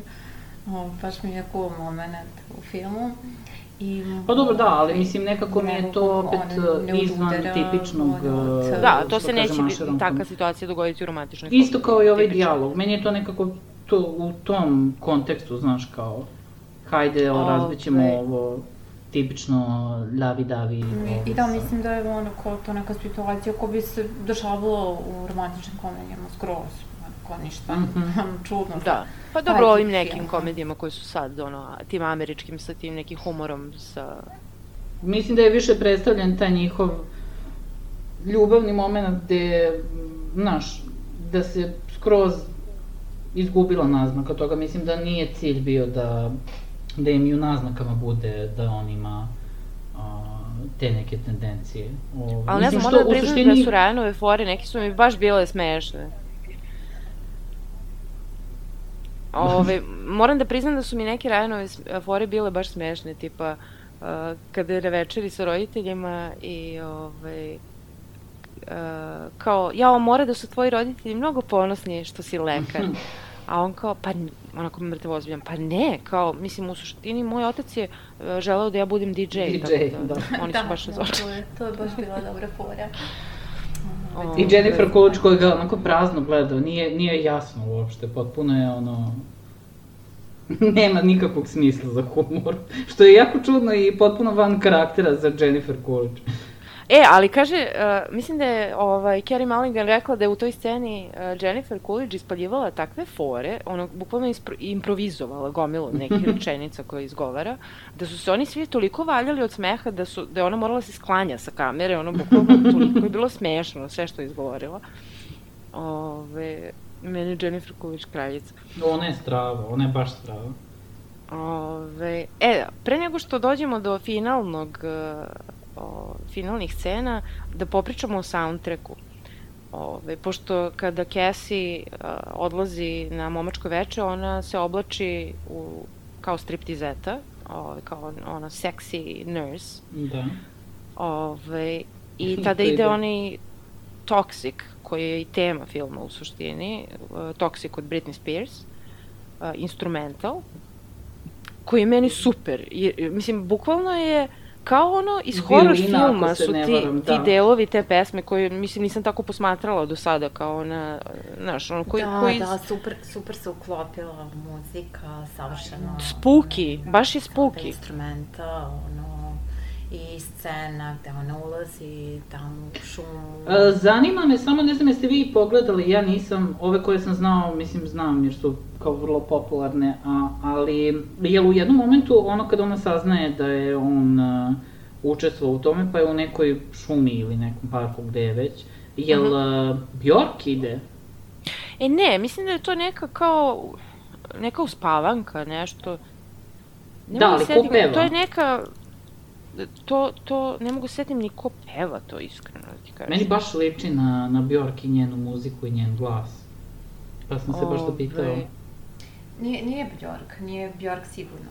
Speaker 3: ovaj, baš mi je cool moment u filmu. I,
Speaker 2: pa dobro, da, ali mislim nekako mi je to opet izvan tipičnog...
Speaker 1: Da, to se neće takva situacija dogoditi u romantičnoj komediji.
Speaker 2: Isto kao i ovaj dijalog, meni je to nekako to, u tom kontekstu, znaš, kao hajde, razbićemo ovo... tipično lavi-davi.
Speaker 3: I da, mislim da je ono kao to neka situacija koja bi se dešavala u romantičnim komedijama skroz, kao ništa čudno.
Speaker 1: Da, pa dobro ovim nekim komedijama koji su sad, ono, tim američkim sa tim nekim humorom, sa...
Speaker 2: Mislim da je više predstavljen taj njihov ljubavni moment gde, znaš, da se skroz izgubila naznaka toga. Mislim da nije cilj bio da da im i u naznakama bude da on ima a, te neke tendencije.
Speaker 1: O, ali ne znam, moram da priznam suštini... da su Ryanove fore, neki su mi baš bile smešne. Ove, moram da priznam da su mi neke Ryanove fore bile baš smešne, tipa uh, kada je na večeri sa roditeljima i ove, uh, kao, jao, mora da su tvoji roditelji mnogo ponosni što si lekar. A on kao, pa, onako mrtvo ozbiljan, pa ne, kao, mislim, u suštini, moj otac je želeo da ja budem di džej.
Speaker 2: di džej, da.
Speaker 1: Oni su baš razočarani.
Speaker 3: Da, to je baš bila dobra fora.
Speaker 2: I Jennifer Coolidge koji ga onako prazno gledao, nije, nije jasno uopšte, potpuno je ono... Nema nikakvog smisla za humor, što je jako čudno i potpuno van karaktera za Jennifer Coolidge.
Speaker 1: E, ali kaže, uh, mislim da je ovaj, Carey Mulligan rekla da je u toj sceni uh, Jennifer Coolidge ispaljivala takve fore, ono, bukvalno ispro, improvizovala gomilu nekih rečenica koje izgovara, da su se oni svi toliko valjali od smeha da, su, da je ona morala se sklanja sa kamere, ono, bukvalno toliko je bilo smešno sve što je izgovorila. Ove, meni je Jennifer Coolidge kraljica.
Speaker 2: Ona je strava, ona je baš strava.
Speaker 1: Ove, e, pre nego što dođemo do finalnog... Uh, O, finalnih scena, da popričamo o soundtracku. Ove, pošto kada Cassie uh, odlazi na momačko veče, ona se oblači u, kao striptizeta, ove, kao ona sexy nurse.
Speaker 2: Da.
Speaker 1: Ove, I tada ide onaj Toxic, koji je i tema filma u suštini, uh, Toxic od Britney Spears, uh, instrumental, koji je meni super. I, mislim, bukvalno je kao ono iz horror filma su ti, varam, ti delovi te pesme koje, mislim, nisam tako posmatrala do sada, kao ona, znaš, ono koji...
Speaker 3: Da,
Speaker 1: koji...
Speaker 3: da, super, super se uklopila muzika, savršeno...
Speaker 1: Spooky, baš je spooky.
Speaker 3: Instrumenta, ono, i scena gde ona ulazi tamo u šumu...
Speaker 2: E, zanima me, samo ne znam jeste vi pogledali, ja nisam, ove koje sam znao, mislim znam jer su kao vrlo popularne, a, ali je u jednom momentu ono kada ona saznaje da je on uh, učestvovao u tome, pa je u nekoj šumi ili nekom parku gde je već, jel uh, Bjork ide?
Speaker 1: E ne, mislim da je to neka kao, neka uspavanka, nešto. Ne
Speaker 2: da, ali ko peva?
Speaker 1: To je neka, to, to, ne mogu setim ni ko peva to iskreno, da ti kažem.
Speaker 2: Meni baš liči na, na Bjork i njenu muziku i njen glas. Pa sam se baš dopitao.
Speaker 3: Nije, nije Bjork, nije Bjork sigurno.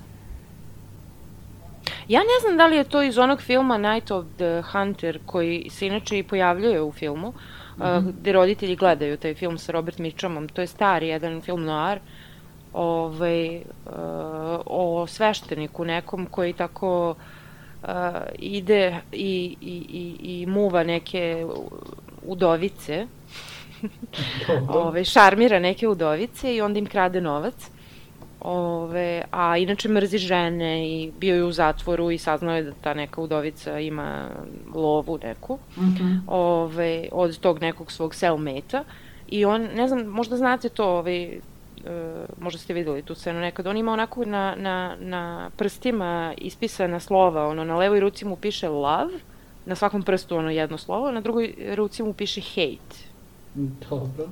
Speaker 1: Ja ne znam da li je to iz onog filma Night of the Hunter, koji se inače i pojavljuje u filmu, mm-hmm. uh, gde roditelji gledaju taj film sa Robert Mitchumom. To je stari jedan film noir, ovaj, uh, o svešteniku nekom koji tako uh, ide i, i, i, i muva neke udovice, ove, šarmira neke udovice i onda im krade novac. Ove, a inače mrzi žene i bio je u zatvoru i saznao je da ta neka udovica ima lovu neku,
Speaker 2: mm-hmm.
Speaker 1: ove, od tog nekog svog cellmate-a. I on, ne znam, možda znate to, ove, e, možda ste videli tu scenu nekad, on ima onako na, na, na prstima ispisana slova, ono, na levoj ruci mu piše love, na svakom prstu ono jedno slovo, na drugoj ruci mu piše hate.
Speaker 2: Dobro.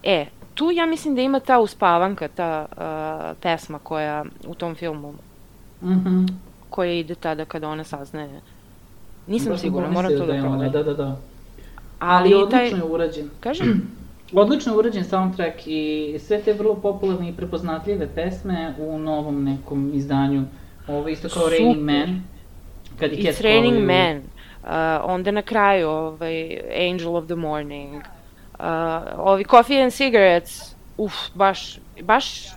Speaker 1: E, tu ja mislim da ima ta uspavanka, ta uh, pesma koja u tom filmu,
Speaker 2: mm-hmm.
Speaker 1: koja ide tada kada ona saznaje. Nisam
Speaker 2: baš
Speaker 1: sigurna, moram to da, da proverim.
Speaker 2: Da, da, da.
Speaker 1: Ali,
Speaker 2: Ali odlično
Speaker 1: taj...
Speaker 2: je urađen.
Speaker 1: Kažem?
Speaker 2: Odlično je urađen soundtrack i sve te vrlo popularne i prepoznatljive pesme u novom nekom izdanju. Ovo isto kao Super. Raining Man. Kad
Speaker 1: It's Raining u... Man. Uh, onda na kraju ovaj, Angel of the Morning. Uh, ovi Coffee and Cigarettes, uf, baš, baš,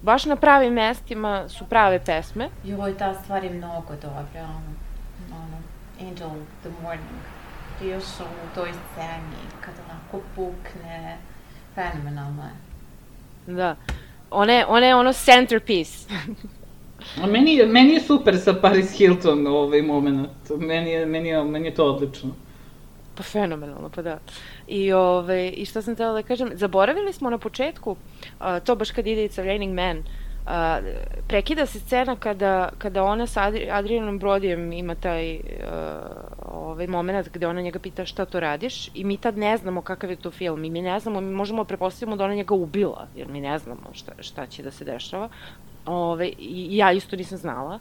Speaker 1: baš na pravim mestima su prave pesme.
Speaker 3: Joj, ta stvar je mnogo dobra, ono, ono, Angel of the Morning, ti još u toj sceni, kada onako pukne, fenomenalno je.
Speaker 1: Da, ona je, ona je ono centerpiece.
Speaker 2: A meni je, meni je super sa Paris Hilton ovaj moment, meni je, meni je, meni je to odlično.
Speaker 1: Pa fenomenalno, pa da. I, ove, i što sam htjela da kažem, zaboravili smo na početku, uh, to baš kad ide It's Raining Man, uh, prekida se scena kada, kada ona sa Adri, Adrianom Brodijem ima taj uh, ovaj moment gde ona njega pita šta to radiš i mi tad ne znamo kakav je to film i mi ne znamo, mi možemo prepostaviti da ona njega ubila, jer mi ne znamo šta, šta će da se dešava. Ove, i ja isto nisam znala.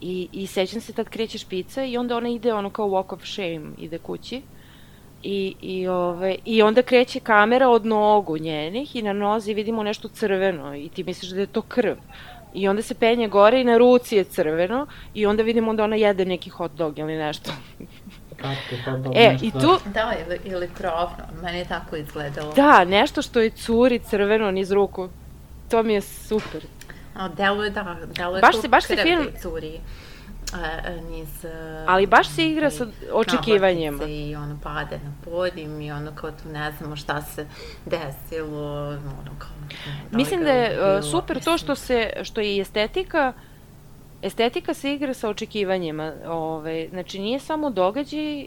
Speaker 1: I, i sećam se tad kreće špica i onda ona ide ono kao walk of shame, ide kući. I, i, ove, I onda kreće kamera od nogu njenih i na nozi vidimo nešto crveno i ti misliš da je to krv. I onda se penje gore i na ruci je crveno i onda vidimo da ona jede neki hot dog ili nešto.
Speaker 2: kratko, kao da
Speaker 1: E, i tu...
Speaker 3: Da, ili, ili krovno, meni je tako izgledalo.
Speaker 1: Da, nešto što je curi crveno niz ruku. To mi je super.
Speaker 3: A, delo je, da, delo je
Speaker 1: baš
Speaker 3: tu
Speaker 1: se, baš se
Speaker 3: krv
Speaker 1: film...
Speaker 3: curi. Uh, niz... Uh,
Speaker 1: ali baš se igra sa očekivanjima.
Speaker 3: I ono pade na podim i ono kao tu ne znamo šta se desilo, ono kao...
Speaker 1: Da mislim da je bilo, super mislim. To što se, što je estetika, estetika se igra sa očekivanjima, ove, znači nije samo događaj uh,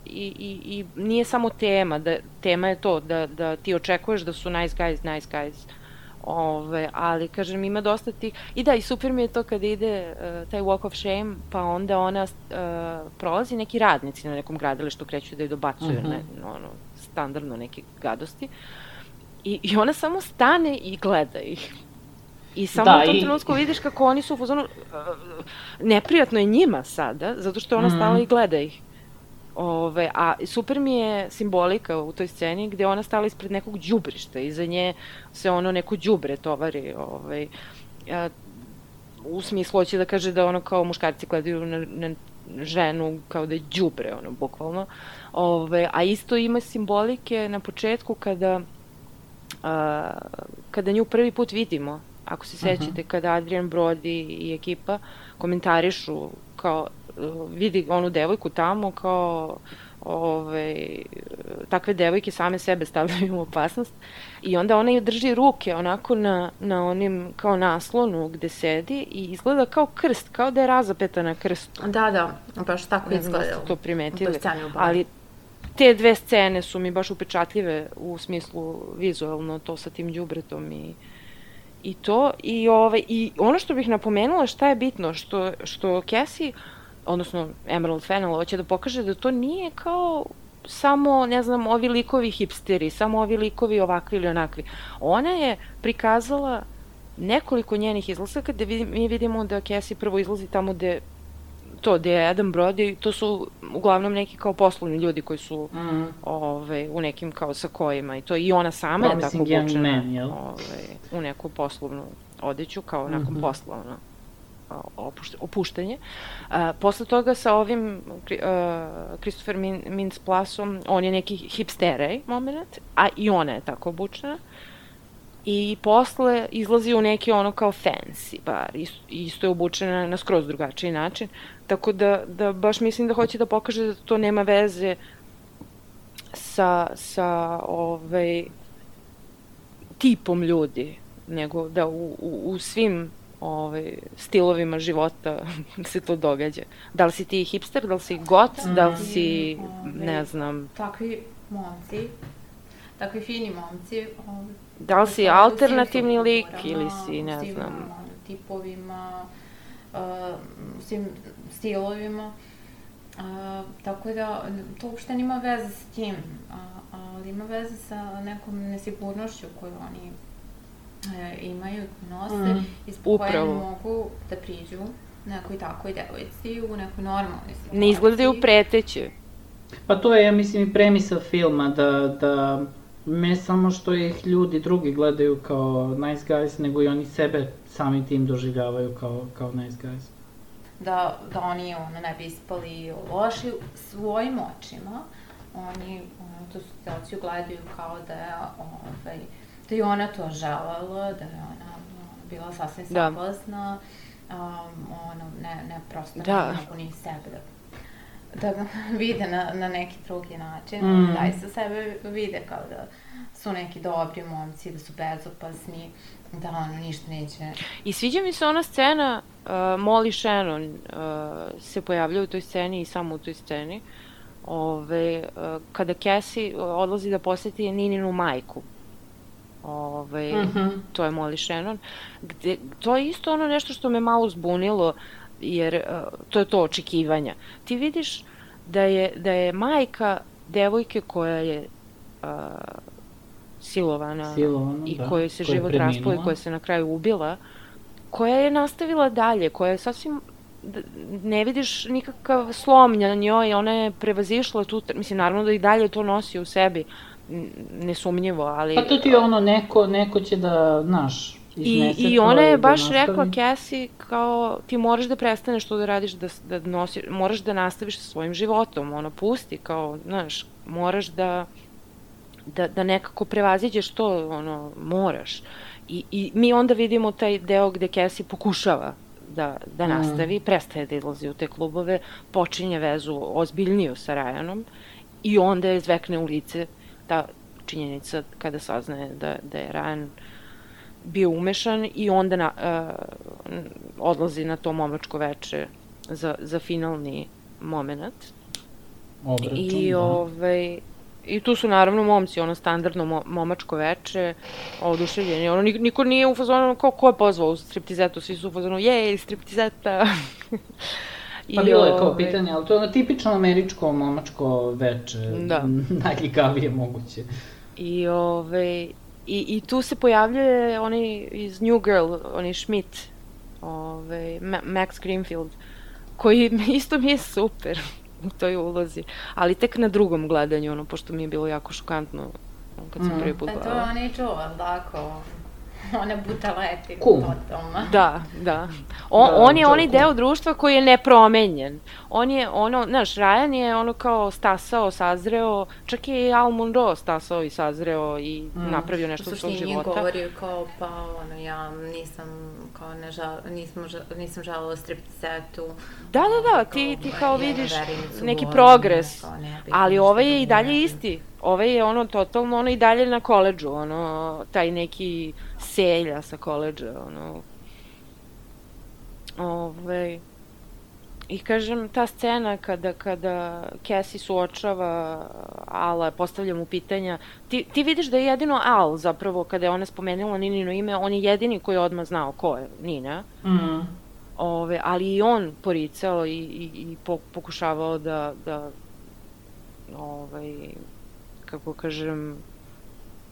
Speaker 1: i, i, i nije samo tema, da, tema je to da, da ti očekuješ da su nice guys, nice guys. Ove, ali, kažem, ima dosta tih... I da, i super mi je to kada ide uh, taj walk of shame, pa onda ona uh, prolazi neki radnici na nekom gradilištu, kreću da je dobacuju, uh-huh. ne, ono, standardno neke gadosti. I, I ona samo stane i gleda ih. I samo da, u tom i... trenutku vidiš kako oni su u fazonu... Uh, neprijatno je njima sada, zato što ona uh-huh. stala i gleda ih. Ove, a super mi je simbolika u toj sceni gde ona stala ispred nekog đubrišta, iza nje se ono neko đubre tovari, ovaj, a, u smislu hoće da kaže da ono kao muškarci gledaju na, na ženu kao da je đubre, ono, bukvalno. Ove, a isto ima simbolike na početku kada, a, kada nju prvi put vidimo, ako se sećate, uh-huh. kada Adrian Brody i ekipa komentarišu kao vidi onu devojku tamo kao ove, takve devojke same sebe stavljaju u opasnost i onda ona je drži ruke onako na, na onim kao naslonu gde sedi i izgleda kao krst, kao da je razapeta na krstu.
Speaker 3: Da, da, baš tako izgleda.
Speaker 1: Ne znam da ste to primetili, ali te dve scene su mi baš upečatljive u smislu vizualno, to sa tim đubretom i i to i ove i ono što bih napomenula šta je bitno, što što Cassie odnosno Emerald Fennell hoće da pokaže da to nije kao samo, ne znam, ovi likovi hipsteri, samo ovi likovi ovakvi ili onakvi. Ona je prikazala nekoliko njenih izlasaka gde mi vidimo da Cassie prvo izlazi tamo gde to, gde je Adam Brody, to su uglavnom neki kao poslovni ljudi koji su mm. ove, u nekim kao sakojima i to i ona sama je tako obučena ove, u neku poslovnu odeću kao mm-hmm. nakon posla, ono. Opušt, opuštanje. A, posle toga sa ovim uh, Christopher Min, Mintz-Plassom, on je neki hipsterej moment, a i ona je tako obučena. I posle izlazi u neki ono kao fancy bar, isto, isto je obučena na skroz drugačiji način. Tako da, da baš mislim da hoće da pokaže da to nema veze sa, sa ovaj, tipom ljudi, nego da u, u, u svim Ove, stilovima života se to događa. Da li si ti hipster, da li si got, mm. da li si, ove, ne znam...
Speaker 3: Takvi momci, takvi fini momci... Ove,
Speaker 1: da li si alternativni lik ili si, ne svim, znam...
Speaker 3: U tipovima, uh, svim stilovima. Uh, tako da, to uopšte nima veze s tim, uh, ali ima veze sa nekom nesigurnošću koju oni E, imaju, nose, mm, ispod koje mogu da priđu nekoj takvoj devojci u nekoj normalnoj situaciji.
Speaker 1: Ne izgledaju preteće.
Speaker 2: Pa to je, ja mislim, i premisa filma, da, da ne samo što ih ljudi drugi gledaju kao nice guys, nego i oni sebe sami tim doživljavaju kao, kao nice guys.
Speaker 3: Da, da oni ono, ne bi ispali loši svojim očima, oni ono, tu situaciju gledaju kao da je ovaj, da je ona to želela, da je ona bila sasvim saglasna, um, ono, ne, ne prosto da. ne mogu ni sebe da, da vide na, na neki drugi način, mm. da i sa sebe vide kao da su neki dobri momci, da su bezopasni, da ono ništa neće.
Speaker 1: I sviđa mi se ona scena, uh, Molly Shannon uh, se pojavlja u toj sceni i samo u toj sceni, ove, uh, kada Cassie odlazi da poseti Nininu majku. Ove, uh-huh. To je Molly Shannon, gde, to je isto ono nešto što me malo zbunilo, jer uh, to je to očekivanja. Ti vidiš da je, da je majka devojke koja je uh, silovana, silovana i da, kojoj se koja život raspao i koja se na kraju ubila, koja je nastavila dalje, koja je sasvim, ne vidiš nikakav slom na njoj, ona je prevazišla tu, mislim, naravno da i dalje to nosi u sebi, nesumnjivo, ali...
Speaker 2: Pa to ti je ono, neko, neko će da, znaš,
Speaker 1: I, i ona je baš da rekla Cassie kao ti moraš da prestaneš to da radiš, da, da nosiš, moraš da nastaviš sa svojim životom, ono pusti kao, znaš, moraš da, da, da nekako prevaziđeš to, ono, moraš. I, i mi onda vidimo taj deo gde Cassie pokušava da, da nastavi, mm. prestaje da izlazi u te klubove, počinje vezu ozbiljniju sa Ryanom i onda je zvekne u lice ta činjenica kada saznaje da, da je Ryan bio umešan i onda na, uh, odlazi na to momačko veče za, za finalni moment.
Speaker 2: Obračun,
Speaker 1: I,
Speaker 2: da.
Speaker 1: ovaj, I tu su naravno momci, ono standardno mo, momačko veče, oduševljeni. Ono, niko nije u fazonu, kao ko je pozvao u striptizetu, svi su u fazonu, jej, striptizeta.
Speaker 2: Pa bilo je kao pitanje, ali to je ono tipično američko momačko veče, da. Najljigavije moguće.
Speaker 1: I, ove, i, i tu se pojavljuje onaj iz New Girl, onaj Schmidt, ove, Ma, Max Greenfield, koji isto mi je super u toj ulozi, ali tek na drugom gledanju, ono, pošto mi je bilo jako šokantno kad sam mm. prvi put gledala.
Speaker 3: A to je onaj čuvan, tako, one butaleti,
Speaker 2: cool.
Speaker 3: Totalno.
Speaker 1: Da, da. On, da, on je onaj deo društva koji je nepromenjen. On je, ono, znaš, Ryan je ono kao stasao, sazreo, čak je i Al Monroe stasao i sazreo i mm. napravio nešto od svog života.
Speaker 3: U suštini govorio kao, pa, ono, ja nisam, kao, ne žal, nisam, nisam žalila striptizetu.
Speaker 1: Da, da, da, ti, ti kao vidiš neki progres, ali ovaj je i dalje isti. Ovaj je ono totalno, ono i dalje na koledžu, ono, taj neki selja sa koledža, ono. Ovaj, i kažem, ta scena kada, kada Cassie suočava Ala, postavlja mu pitanja, ti, ti vidiš da je jedino Al zapravo, kada je ona spomenula Ninino ime, on je jedini koji je odmah znao ko je Nina.
Speaker 2: Mhm.
Speaker 1: Ove, ali i on poricao i, i, i pokušavao da, da ovaj, kako kažem,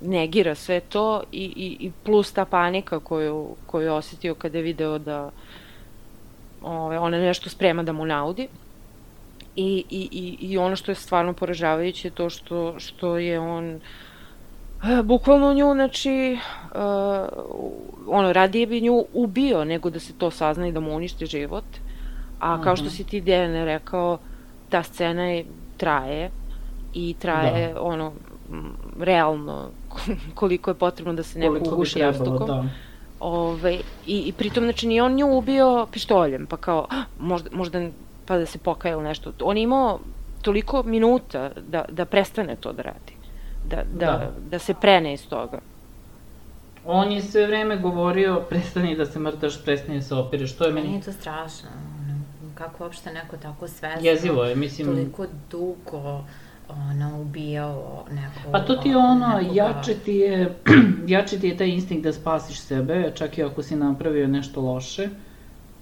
Speaker 1: negira sve to i, i, i plus ta panika koju, koju je osetio kada je video da ove, ona nešto sprema da mu naudi. I, i, i, i ono što je stvarno poražavajuće je to što, što je on e, bukvalno nju, znači, uh, ono, radije bi nju ubio nego da se to sazna i da mu uništi život. A uh-huh. kao što si ti, Dejane, rekao, ta scena je, traje i traje, da. ono, realno koliko je potrebno da se neko koliko uguši jastukom. Da. Ove, i, I pritom, znači, nije on nju ubio pištoljem, pa kao, možda, možda pa da se pokaje ili nešto. On je imao toliko minuta da, da prestane to da radi. Da, da, da. da se prene iz toga.
Speaker 2: On je sve vreme govorio, prestani da se mrtaš, prestani da se opireš, to je meni...
Speaker 3: Meni je to strašno, kako uopšte neko tako svesno,
Speaker 2: jezivo je, mislim...
Speaker 3: toliko dugo ono, ubijao nekog...
Speaker 2: Pa to ti je ono, jače ti je, jače ti je taj instinkt da spasiš sebe, čak i ako si napravio nešto loše.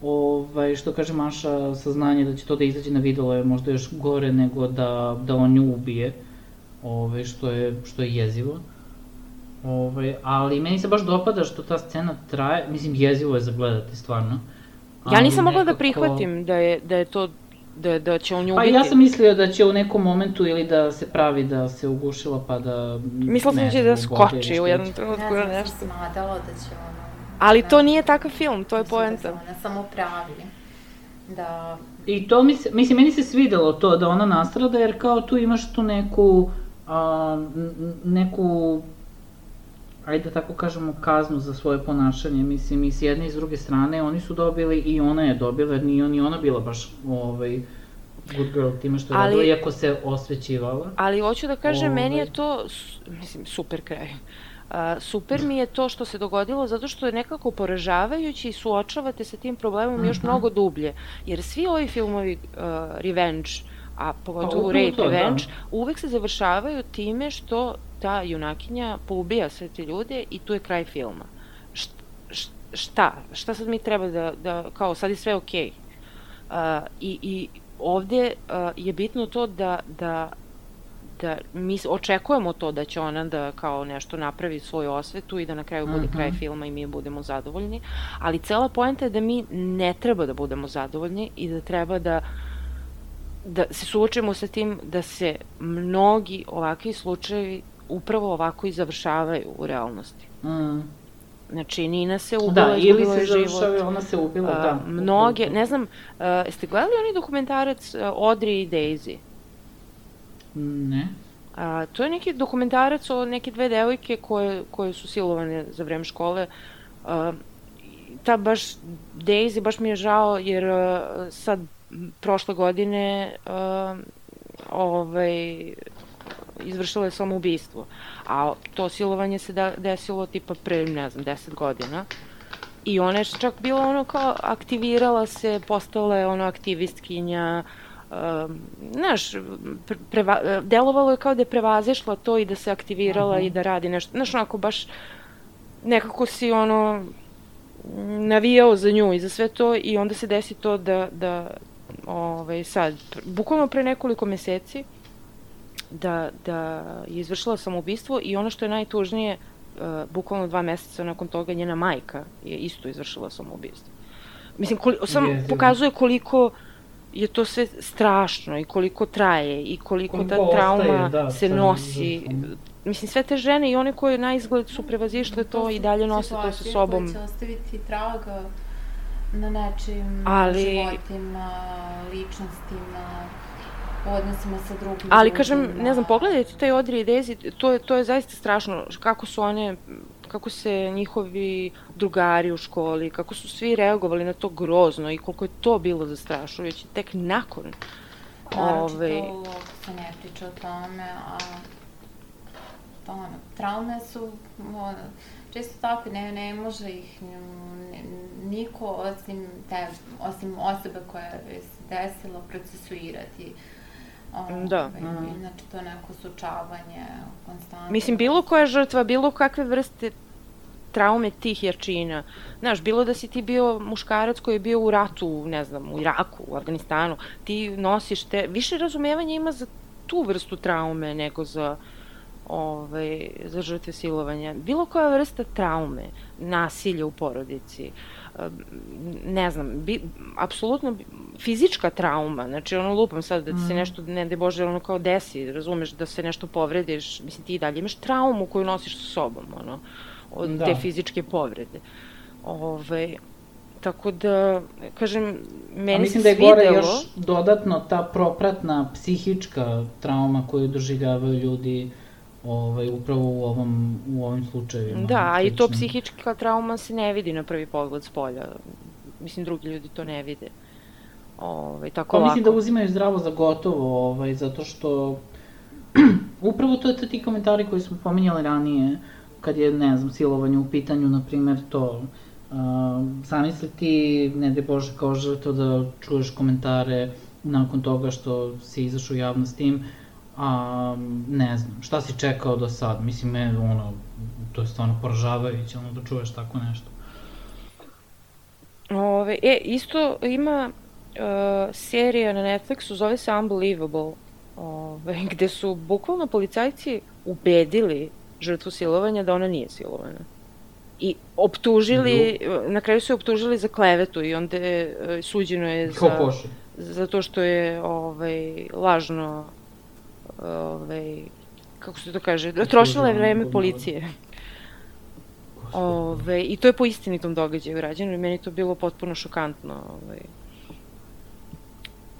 Speaker 2: Ovaj, što kaže Maša, saznanje da će to da izađe na videlo je možda još gore nego da, da on nju ubije, ovaj, što, je, što je jezivo. Ovaj, ali meni se baš dopada što ta scena traje, mislim jezivo je za gledati stvarno.
Speaker 1: Ja nisam mogla nekako... da prihvatim da je, da je to, da, da će on nju ubiti.
Speaker 2: Pa ja sam mislila da će u nekom momentu ili da se pravi da se ugušila pa da...
Speaker 1: Mislila sam da će da skoči u jednom trenutku
Speaker 3: na nešto. Ja sam smatala da će ono...
Speaker 1: Ali to nije takav film, to je poenta.
Speaker 3: Da se ona samo pravi. Da...
Speaker 2: I to mi se, mislim, meni se svidelo to da ona nastrada, jer kao tu imaš tu neku, a, neku, ajde da tako kažemo, kaznu za svoje ponašanje. Mislim, i s jedne i s druge strane oni su dobili i ona je dobila, jer nije ni ona bila baš ovaj, good girl time što je radila, iako se osvećivala.
Speaker 1: Ali hoću da kažem, ovaj... meni je to, mislim, super kraj. Uh, super mi je to što se dogodilo zato što je nekako poražavajući i suočavate sa tim problemom uh-huh. još mnogo dublje. Jer svi ovi filmovi uh, revenge, a pogotovo rape to, revenge, da. uvek se završavaju time što ta junakinja poubija sve te ljude i tu je kraj filma. Št, šta? Šta sad mi treba da, da kao sad je sve okej? Okay. Uh, i, I ovde uh, je bitno to da, da da mi očekujemo to da će ona da kao nešto napravi svoju osvetu i da na kraju bude uh-huh. kraj filma i mi budemo zadovoljni, ali cela poenta je da mi ne treba da budemo zadovoljni i da treba da da se suočimo sa tim da se mnogi ovakvi slučajevi upravo ovako i završavaju u realnosti.
Speaker 2: Mm.
Speaker 1: Znači, Nina se ubila,
Speaker 2: da,
Speaker 1: izgubila je život.
Speaker 2: Da, ili se završava, ona se ubila, uh, da.
Speaker 1: Mnoge, ne znam, uh, jeste gledali oni dokumentarac uh, Audrey i Daisy?
Speaker 2: Ne.
Speaker 1: Uh, to je neki dokumentarac o neke dve devojke koje, koje su silovane za vreme škole. Uh, ta baš, Daisy, baš mi je žao, jer uh, sad, prošle godine, uh, ovaj, izvršila je samoubistvo. A to silovanje se da, desilo tipa pre, ne znam, deset godina. I ona je čak bila ono kao, aktivirala se, postala je ono aktivistkinja, um, znaš, preva, delovalo je kao da je prevazišla to i da se aktivirala uh-huh. i da radi nešto. Znaš, onako baš nekako si ono navijao za nju i za sve to i onda se desi to da, da ovaj, sad, bukvalno pre nekoliko meseci, da, da je izvršila samoubistvo i ono što je najtužnije, uh, bukvalno dva meseca nakon toga njena majka je isto izvršila samoubistvo. Mislim, koliko, sam je, pokazuje koliko je to sve strašno i koliko traje i koliko, koliko ta trauma ostaje, da, se nosi. Izvršno. Mislim, sve te žene i one koje na izgled su prevazišle to, to i dalje nose to sa sobom.
Speaker 3: To su situacije koje će ostaviti traga na nečim
Speaker 1: ali,
Speaker 3: životima, ličnostima, odnosima sa drugim
Speaker 1: ali ljudima. Kažem, ne znam, pogledajte taj Audrey i Daisy, to je, to je zaista strašno, kako su one, kako se njihovi drugari u školi, kako su svi reagovali na to grozno i koliko je to bilo zastrašujuće, tek nakon.
Speaker 3: Naročito, ove... se ne priča o tome, a to, ono, traume su, ono, često tako, ne, ne može ih ne, niko osim, te, osim osobe koja je se desila procesuirati. O,
Speaker 1: da.
Speaker 3: Ovaj, znači, to neko sučavanje, konstantno.
Speaker 1: Mislim, bilo koja žrtva, bilo kakve vrste traume tih jačina. Znaš, bilo da si ti bio muškarac koji je bio u ratu, ne znam, u Iraku, u Afganistanu, ti nosiš te, više razumevanja ima za tu vrstu traume nego za Ove, za žrtve silovanja. Bilo koja vrsta traume, nasilja u porodici, ne znam, bi, apsolutno fizička trauma, znači ono lupam sad da ti se nešto, ne de Bože, ono kao desi, razumeš, da se nešto povrediš, mislim ti i dalje imaš traumu koju nosiš sa sobom, ono, od da. te fizičke povrede. Ove, tako da, kažem, meni se svidelo...
Speaker 2: Mislim da je gore još dodatno ta propratna psihička trauma koju doživljavaju ljudi Ovaj, upravo u ovom, u ovim slučajevima.
Speaker 1: Da, a i to psihička trauma se ne vidi na prvi pogled s polja. Mislim, drugi ljudi to ne vide. Ovaj, tako
Speaker 2: pa
Speaker 1: lako.
Speaker 2: Mislim da uzimaju zdravo za gotovo, ovaj, zato što upravo to je ti komentari koji smo pominjali ranije, kad je, ne znam, silovanje u pitanju, na primer, to, uh, zamisli ti, ne de Bože, kao žrtvo da čuješ komentare nakon toga što si izašao u javnost s tim, a ne znam, šta si čekao do sad? Mislim, me, ono, to je stvarno poražavajuće, ono, da čuješ tako nešto.
Speaker 1: Ove, e, isto ima uh, serija na Netflixu, zove se Unbelievable, ove, gde su bukvalno policajci ubedili žrtvu silovanja da ona nije silovana. I optužili, mm-hmm. na kraju su je optužili za klevetu i onda je, suđeno je za, zato što je ovaj, lažno Ove, kako se to kaže, trošila je vreme policije. Ove, I to je po istinitom događaju rađeno i meni to bilo potpuno šokantno. Ove.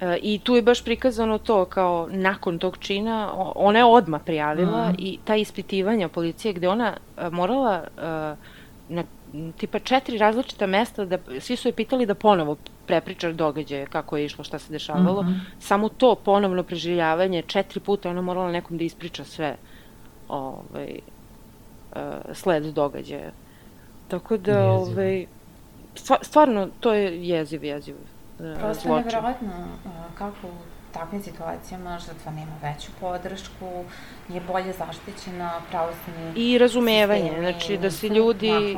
Speaker 1: E, I tu je baš prikazano to kao nakon tog čina, ona je odmah prijavila mm. i ta ispitivanja policije gde ona a, morala a, na tipa četiri različita mesta, da, svi su je pitali da ponovo prepriča događaje, kako je išlo, šta se dešavalo. Mm-hmm. Samo to ponovno preživljavanje, četiri puta ona morala nekom da ispriča sve ovaj, uh, sled događaja. Tako da, ovaj, stvarno, to je jeziv, jeziv uh,
Speaker 3: Prosto je nevjerojatno uh, kako u takvim situacijama žrtva nema veću podršku, je bolje zaštićena, pravosudni
Speaker 1: i razumevanje, znači da se ljudi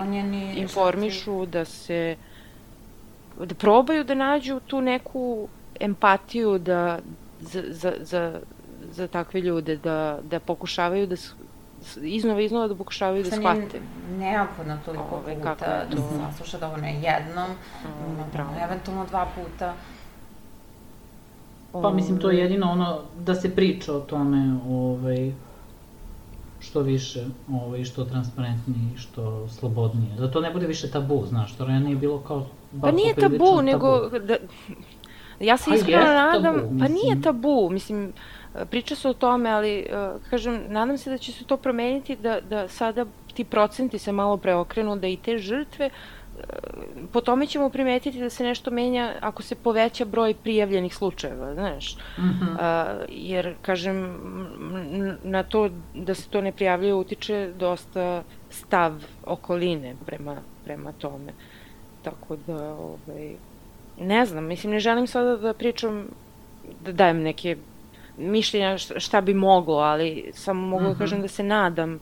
Speaker 1: informišu, da se da probaju da nađu tu neku empatiju da, za, za, za, za takve ljude, da, da pokušavaju da iznova iznova da pokušavaju da shvate.
Speaker 3: Neophodno toliko Ove, puta da se sasluša da ovo ne jednom, Ove, eventualno dva puta.
Speaker 2: Pa mislim, to je jedino ono da se priča o tome, ovaj, što više, ovaj, što transparentnije, što slobodnije. Da to ne bude više tabu, znaš, to ranije je bilo kao...
Speaker 1: Pa nije tabu, nego... Da, ja se iskreno nadam, tabu, pa nije tabu, mislim, priča se o tome, ali, kažem, nadam se da će se to promeniti, da, da sada ti procenti se malo preokrenu, da i te žrtve, po tome ćemo primetiti da se nešto menja ako se poveća broj prijavljenih slučajeva, znaš.
Speaker 2: Mm-hmm.
Speaker 1: A, jer, kažem, na to da se to ne prijavljuje utiče dosta stav okoline prema, prema tome. Tako da, ovaj, ne znam, mislim, ne želim sada da pričam, da dajem neke mišljenja šta bi moglo, ali samo mogu mm-hmm. da kažem da se nadam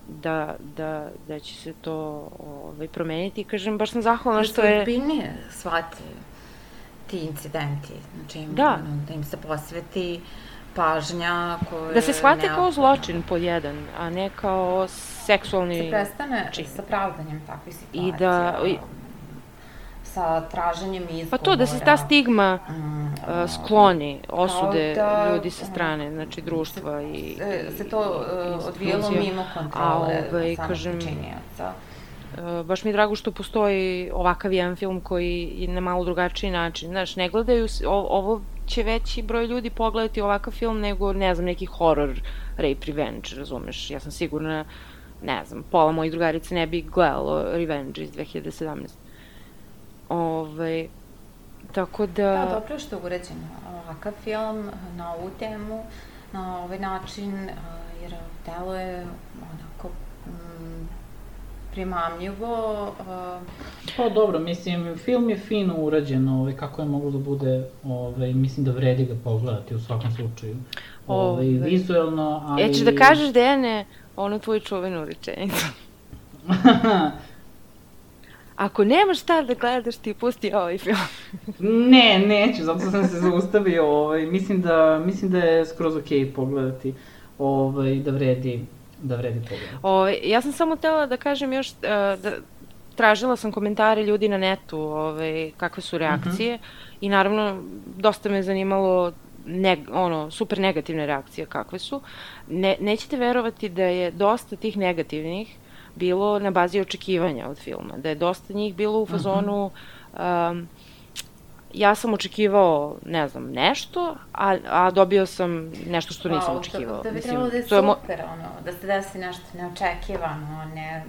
Speaker 1: da, da, da će se to ovaj, promeniti i kažem, baš sam zahvalna što je...
Speaker 3: Da se ozbiljnije shvate ti incidenti, znači
Speaker 1: da.
Speaker 3: Ono, da im se posveti pažnja koja...
Speaker 1: Da se shvate kao zločin pod jedan, a ne kao seksualni čin.
Speaker 3: Se prestane čin. Sa pravdanjem takvih situacija.
Speaker 1: I da... I,
Speaker 3: sa traženjem izgovora.
Speaker 1: Pa to, da se ta stigma mm, uh, skloni, osude da, ljudi sa strane, znači društva
Speaker 3: se,
Speaker 1: i...
Speaker 3: Se, se to uh, odvijelo mimo kontrole ovaj, samog počinioca.
Speaker 1: Uh, baš mi je drago što postoji ovakav jedan film koji je na malo drugačiji način. Znaš, ne gledaju, o, ovo će veći broj ljudi pogledati ovakav film nego, ne znam, neki horror, rape, revenge, razumeš? Ja sam sigurna, ne znam, pola mojih drugarica ne bi gledalo Revenge iz dve hiljade sedamnaeste. Ove, tako da...
Speaker 3: Da, dobro što je uređen ovakav film na ovu temu, na ovaj način, jer deluje onako mm, primamljivo.
Speaker 2: Pa dobro, mislim, film je fino urađen, ovaj, kako je moglo da bude, ovaj, mislim da vredi ga pogledati u svakom slučaju. Ovaj, vizuelno, ali...
Speaker 1: Ja ćeš da kažeš, Dejane, onu tvoju čuvenu rečenicu. Ako nemaš šta da gledaš, ti pusti ovaj film.
Speaker 2: Ne, neću, zato sam se zaustavio, ovaj, mislim da, mislim da je skroz okej okay pogledati, ovaj, da vredi, da vredi pogledati.
Speaker 1: Ovaj, ja sam samo htela da kažem još, da tražila sam komentare ljudi na netu, ovaj, kakve su reakcije, uh-huh. i naravno, dosta me zanimalo, ne, ono, super negativne reakcije kakve su. Ne, nećete verovati da je dosta tih negativnih bilo na bazi očekivanja od filma, da je dosta njih bilo u fazonu um, ja sam očekivao, ne znam, nešto, a, a dobio sam nešto što nisam očekivao.
Speaker 3: Da bi trebalo da je super, ono, da se desi nešto neočekivano, ne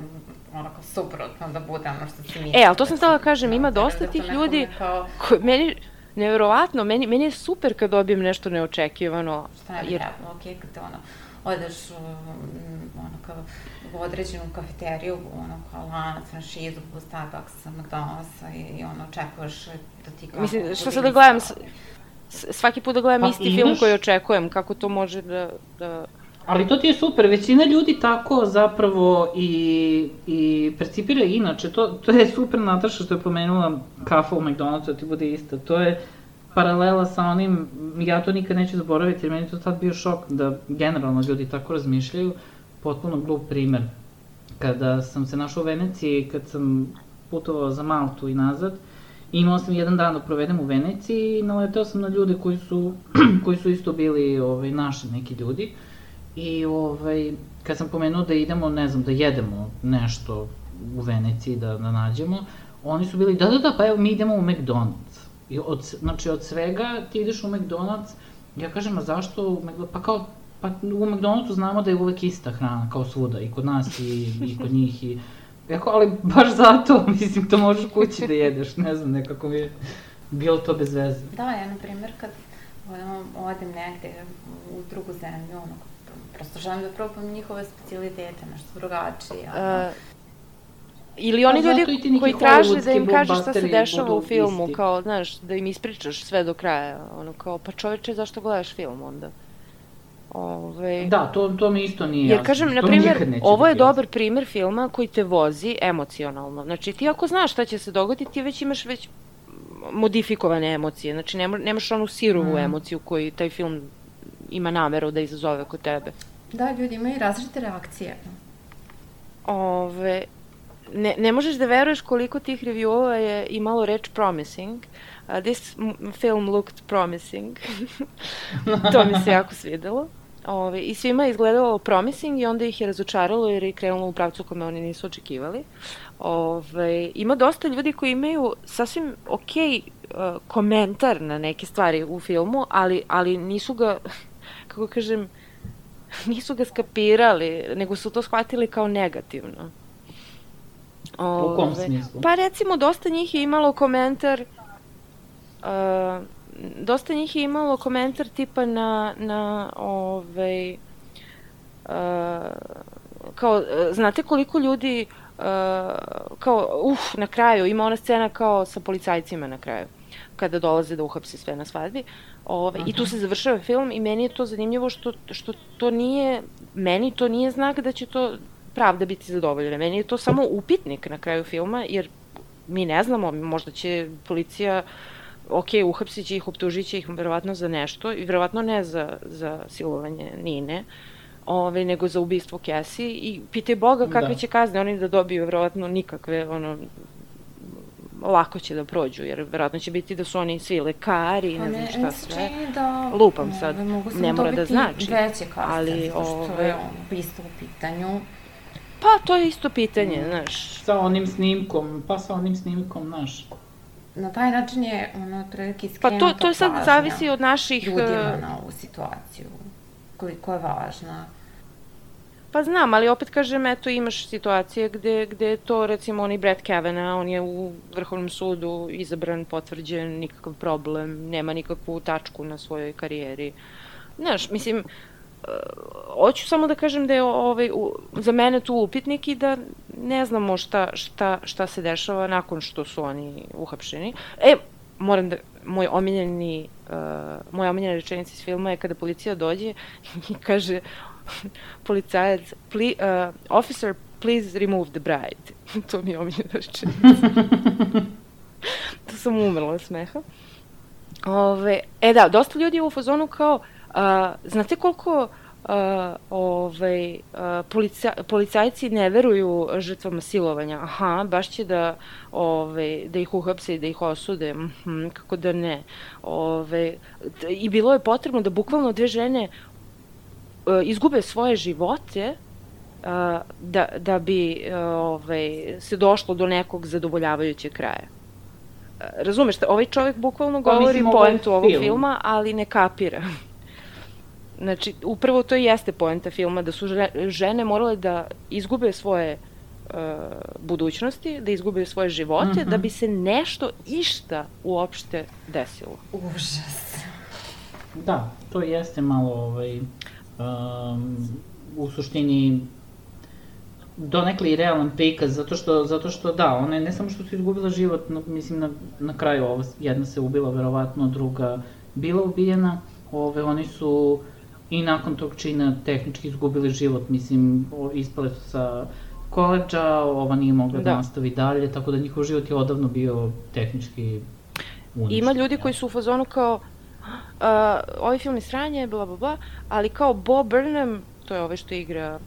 Speaker 3: onako suprotno da bude ono što si mislila.
Speaker 1: E, ali to sam htela da kažem, ima dosta tih ljudi, koji, meni, nevjerovatno, meni, meni je super kad dobijem nešto neočekivano.
Speaker 3: Šta ne bi trebalo, okej, kad te ono, odeš ono kao u određenu kafeteriju, ono kao lanac, franšizu, Starbucks, McDonald'sa i, i ono očekuješ da ti kako...
Speaker 1: Mislim, što sad da gledam, svaki put da gledam pa isti imaš... film koji očekujem, kako to može da, da...
Speaker 2: Ali to ti je super, većina ljudi tako zapravo i, i percipira inače, to, to je super Nataša što je pomenula kafa u McDonald'su, da ti bude ista, to je paralela sa onim, ja to nikad neću zaboraviti jer meni to tad bio šok da generalno ljudi tako razmišljaju, potpuno glup primer. Kada sam se našao u Veneciji, kad sam putovao za Maltu i nazad, imao sam jedan dan da provedem u Veneciji i naleteo sam na ljude koji su, koji su isto bili ovaj, naši neki ljudi. I ovaj, kad sam pomenuo da idemo, ne znam, da jedemo nešto u Veneciji, da, da nađemo, oni su bili, da, da, da, pa evo mi idemo u McDonald's. I od, znači od svega ti ideš u McDonald's, ja kažem, a zašto u McDonald's, pa kao, pa u McDonald'su znamo da je uvek ista hrana, kao svuda, i kod nas i, i kod njih i... Jako, ali baš zato, mislim, to možeš kući da jedeš, ne znam, nekako mi je bilo to bez veze.
Speaker 3: Da, ja, na primjer, kad ono, odem negde u drugu zemlju, ono, prosto želim da probam njihove specijalitete, nešto drugačije, ono. Uh,
Speaker 1: ili oni pa ljudi koji traže da im kažeš šta se dešava u filmu, isti. Kao, znaš, da im ispričaš sve do kraja, ono, kao, pa čoveče, zašto gledaš film onda? Ove...
Speaker 2: Da, to, to mi isto nije jasno.
Speaker 1: Jer kažem, na primjer, ovo je dobar primer filma koji te vozi emocionalno. Znači, ti ako znaš šta će se dogoditi, ti već imaš već modifikovane emocije. Znači, nema, nemaš onu sirovu mm. emociju koju taj film ima nameru da izazove kod tebe.
Speaker 3: Da, ljudi imaju različite reakcije.
Speaker 1: Ove... Ne, ne možeš da veruješ koliko tih reviewova je imalo reč promising. Uh, this film looked promising. To mi se jako svidelo. Ove, I svima je izgledalo promising i onda ih je razočaralo jer je krenulo u pravcu kome oni nisu očekivali. Ove, ima dosta ljudi koji imaju sasvim okej uh, komentar na neke stvari u filmu, ali, ali nisu ga, kako kažem, nisu ga skapirali, nego su to shvatili kao negativno.
Speaker 2: Ove, u kom smislu?
Speaker 1: Pa recimo, dosta njih je imalo komentar... Uh, dosta njih je imalo komentar tipa na, na ovaj, uh, kao, znate koliko ljudi, uh, kao, uf, na kraju, ima ona scena kao sa policajcima na kraju, kada dolaze da uhapse sve na svadbi, ovaj, uh-huh. I tu se završava film i meni je to zanimljivo što, što to nije, meni to nije znak da će to pravda biti zadovoljena, meni je to samo upitnik na kraju filma, jer mi ne znamo, možda će policija ok, uhapsit će ih, optužit će ih verovatno za nešto i verovatno ne za, za silovanje Nine, ove, nego za ubistvo Cassie i pitaj Boga kakve da. će kazne oni da dobiju, verovatno nikakve, ono, lako će da prođu, jer verovatno će biti da su oni svi lekari i ne znam šta sve.
Speaker 3: Da,
Speaker 1: lupam sad, ne mora da znači.
Speaker 3: Veće kazne, ali, zato što je ono, isto u pitanju.
Speaker 1: Pa, to je isto pitanje, mm. znaš.
Speaker 2: Sa onim snimkom, pa sa onim snimkom, znaš.
Speaker 3: Na taj način je, ono, otprilike skrenuta
Speaker 1: pažnja. Pa to, to sad zavisi od naših...
Speaker 3: ljudima na ovu situaciju, koliko je važna.
Speaker 1: Pa znam, ali opet kažem, eto, imaš situacije gde, gde je to, recimo, oni Brett Kavanaugh, on je u Vrhovnom sudu izabran, potvrđen, nikakav problem, nema nikakvu tačku na svojoj karijeri. Znaš, mislim, hoću samo da kažem da je ovaj, za mene tu upitnik i da ne znamo šta, šta, šta se dešava nakon što su oni uhapšeni. E, moram da, moj omiljeni, uh, moja omiljena rečenica iz filma je kada policija dođe i kaže policajac, ple, uh, officer, please remove the bride. To mi je omiljena rečenica. To sam umrla od smeha. Ove, e da, dosta ljudi je u fazonu kao, Uh, znate koliko uh, ovaj, uh, polica, policajci ne veruju žrtvama silovanja? Aha, baš će da, ovaj, da ih uhapse i da ih osude. Mm-hmm, kako da ne. Ovaj, I bilo je potrebno da bukvalno dve žene uh, izgube svoje živote uh, da, da bi uh, ovaj, se došlo do nekog zadovoljavajućeg kraja. Uh, razumeš, ovaj čovjek bukvalno pa, govori poentu ovog film. filma, ali ne kapira. Znači, upravo to i jeste poenta filma, da su žene morale da izgube svoje uh, budućnosti, da izgube svoje živote, mm-hmm. da bi se nešto, išta uopšte desilo.
Speaker 3: Užas.
Speaker 2: Da, to jeste malo, ovaj, um, u suštini, donekle i realan prikaz, zato što, zato što da, one ne samo što su izgubila život, no, mislim na, na kraju ovo, jedna se ubila, verovatno, druga bila ubijena, ove, oni su i nakon tog čina tehnički izgubili život, mislim, ispale su sa koledža, ova nije mogla da, da nastavi dalje, tako da njihov život je odavno bio tehnički uništen.
Speaker 1: Ima ljudi koji su u fazonu kao, uh, ovaj film je sranje, bla bla bla, ali kao Bo Burnham, to je ovaj što igra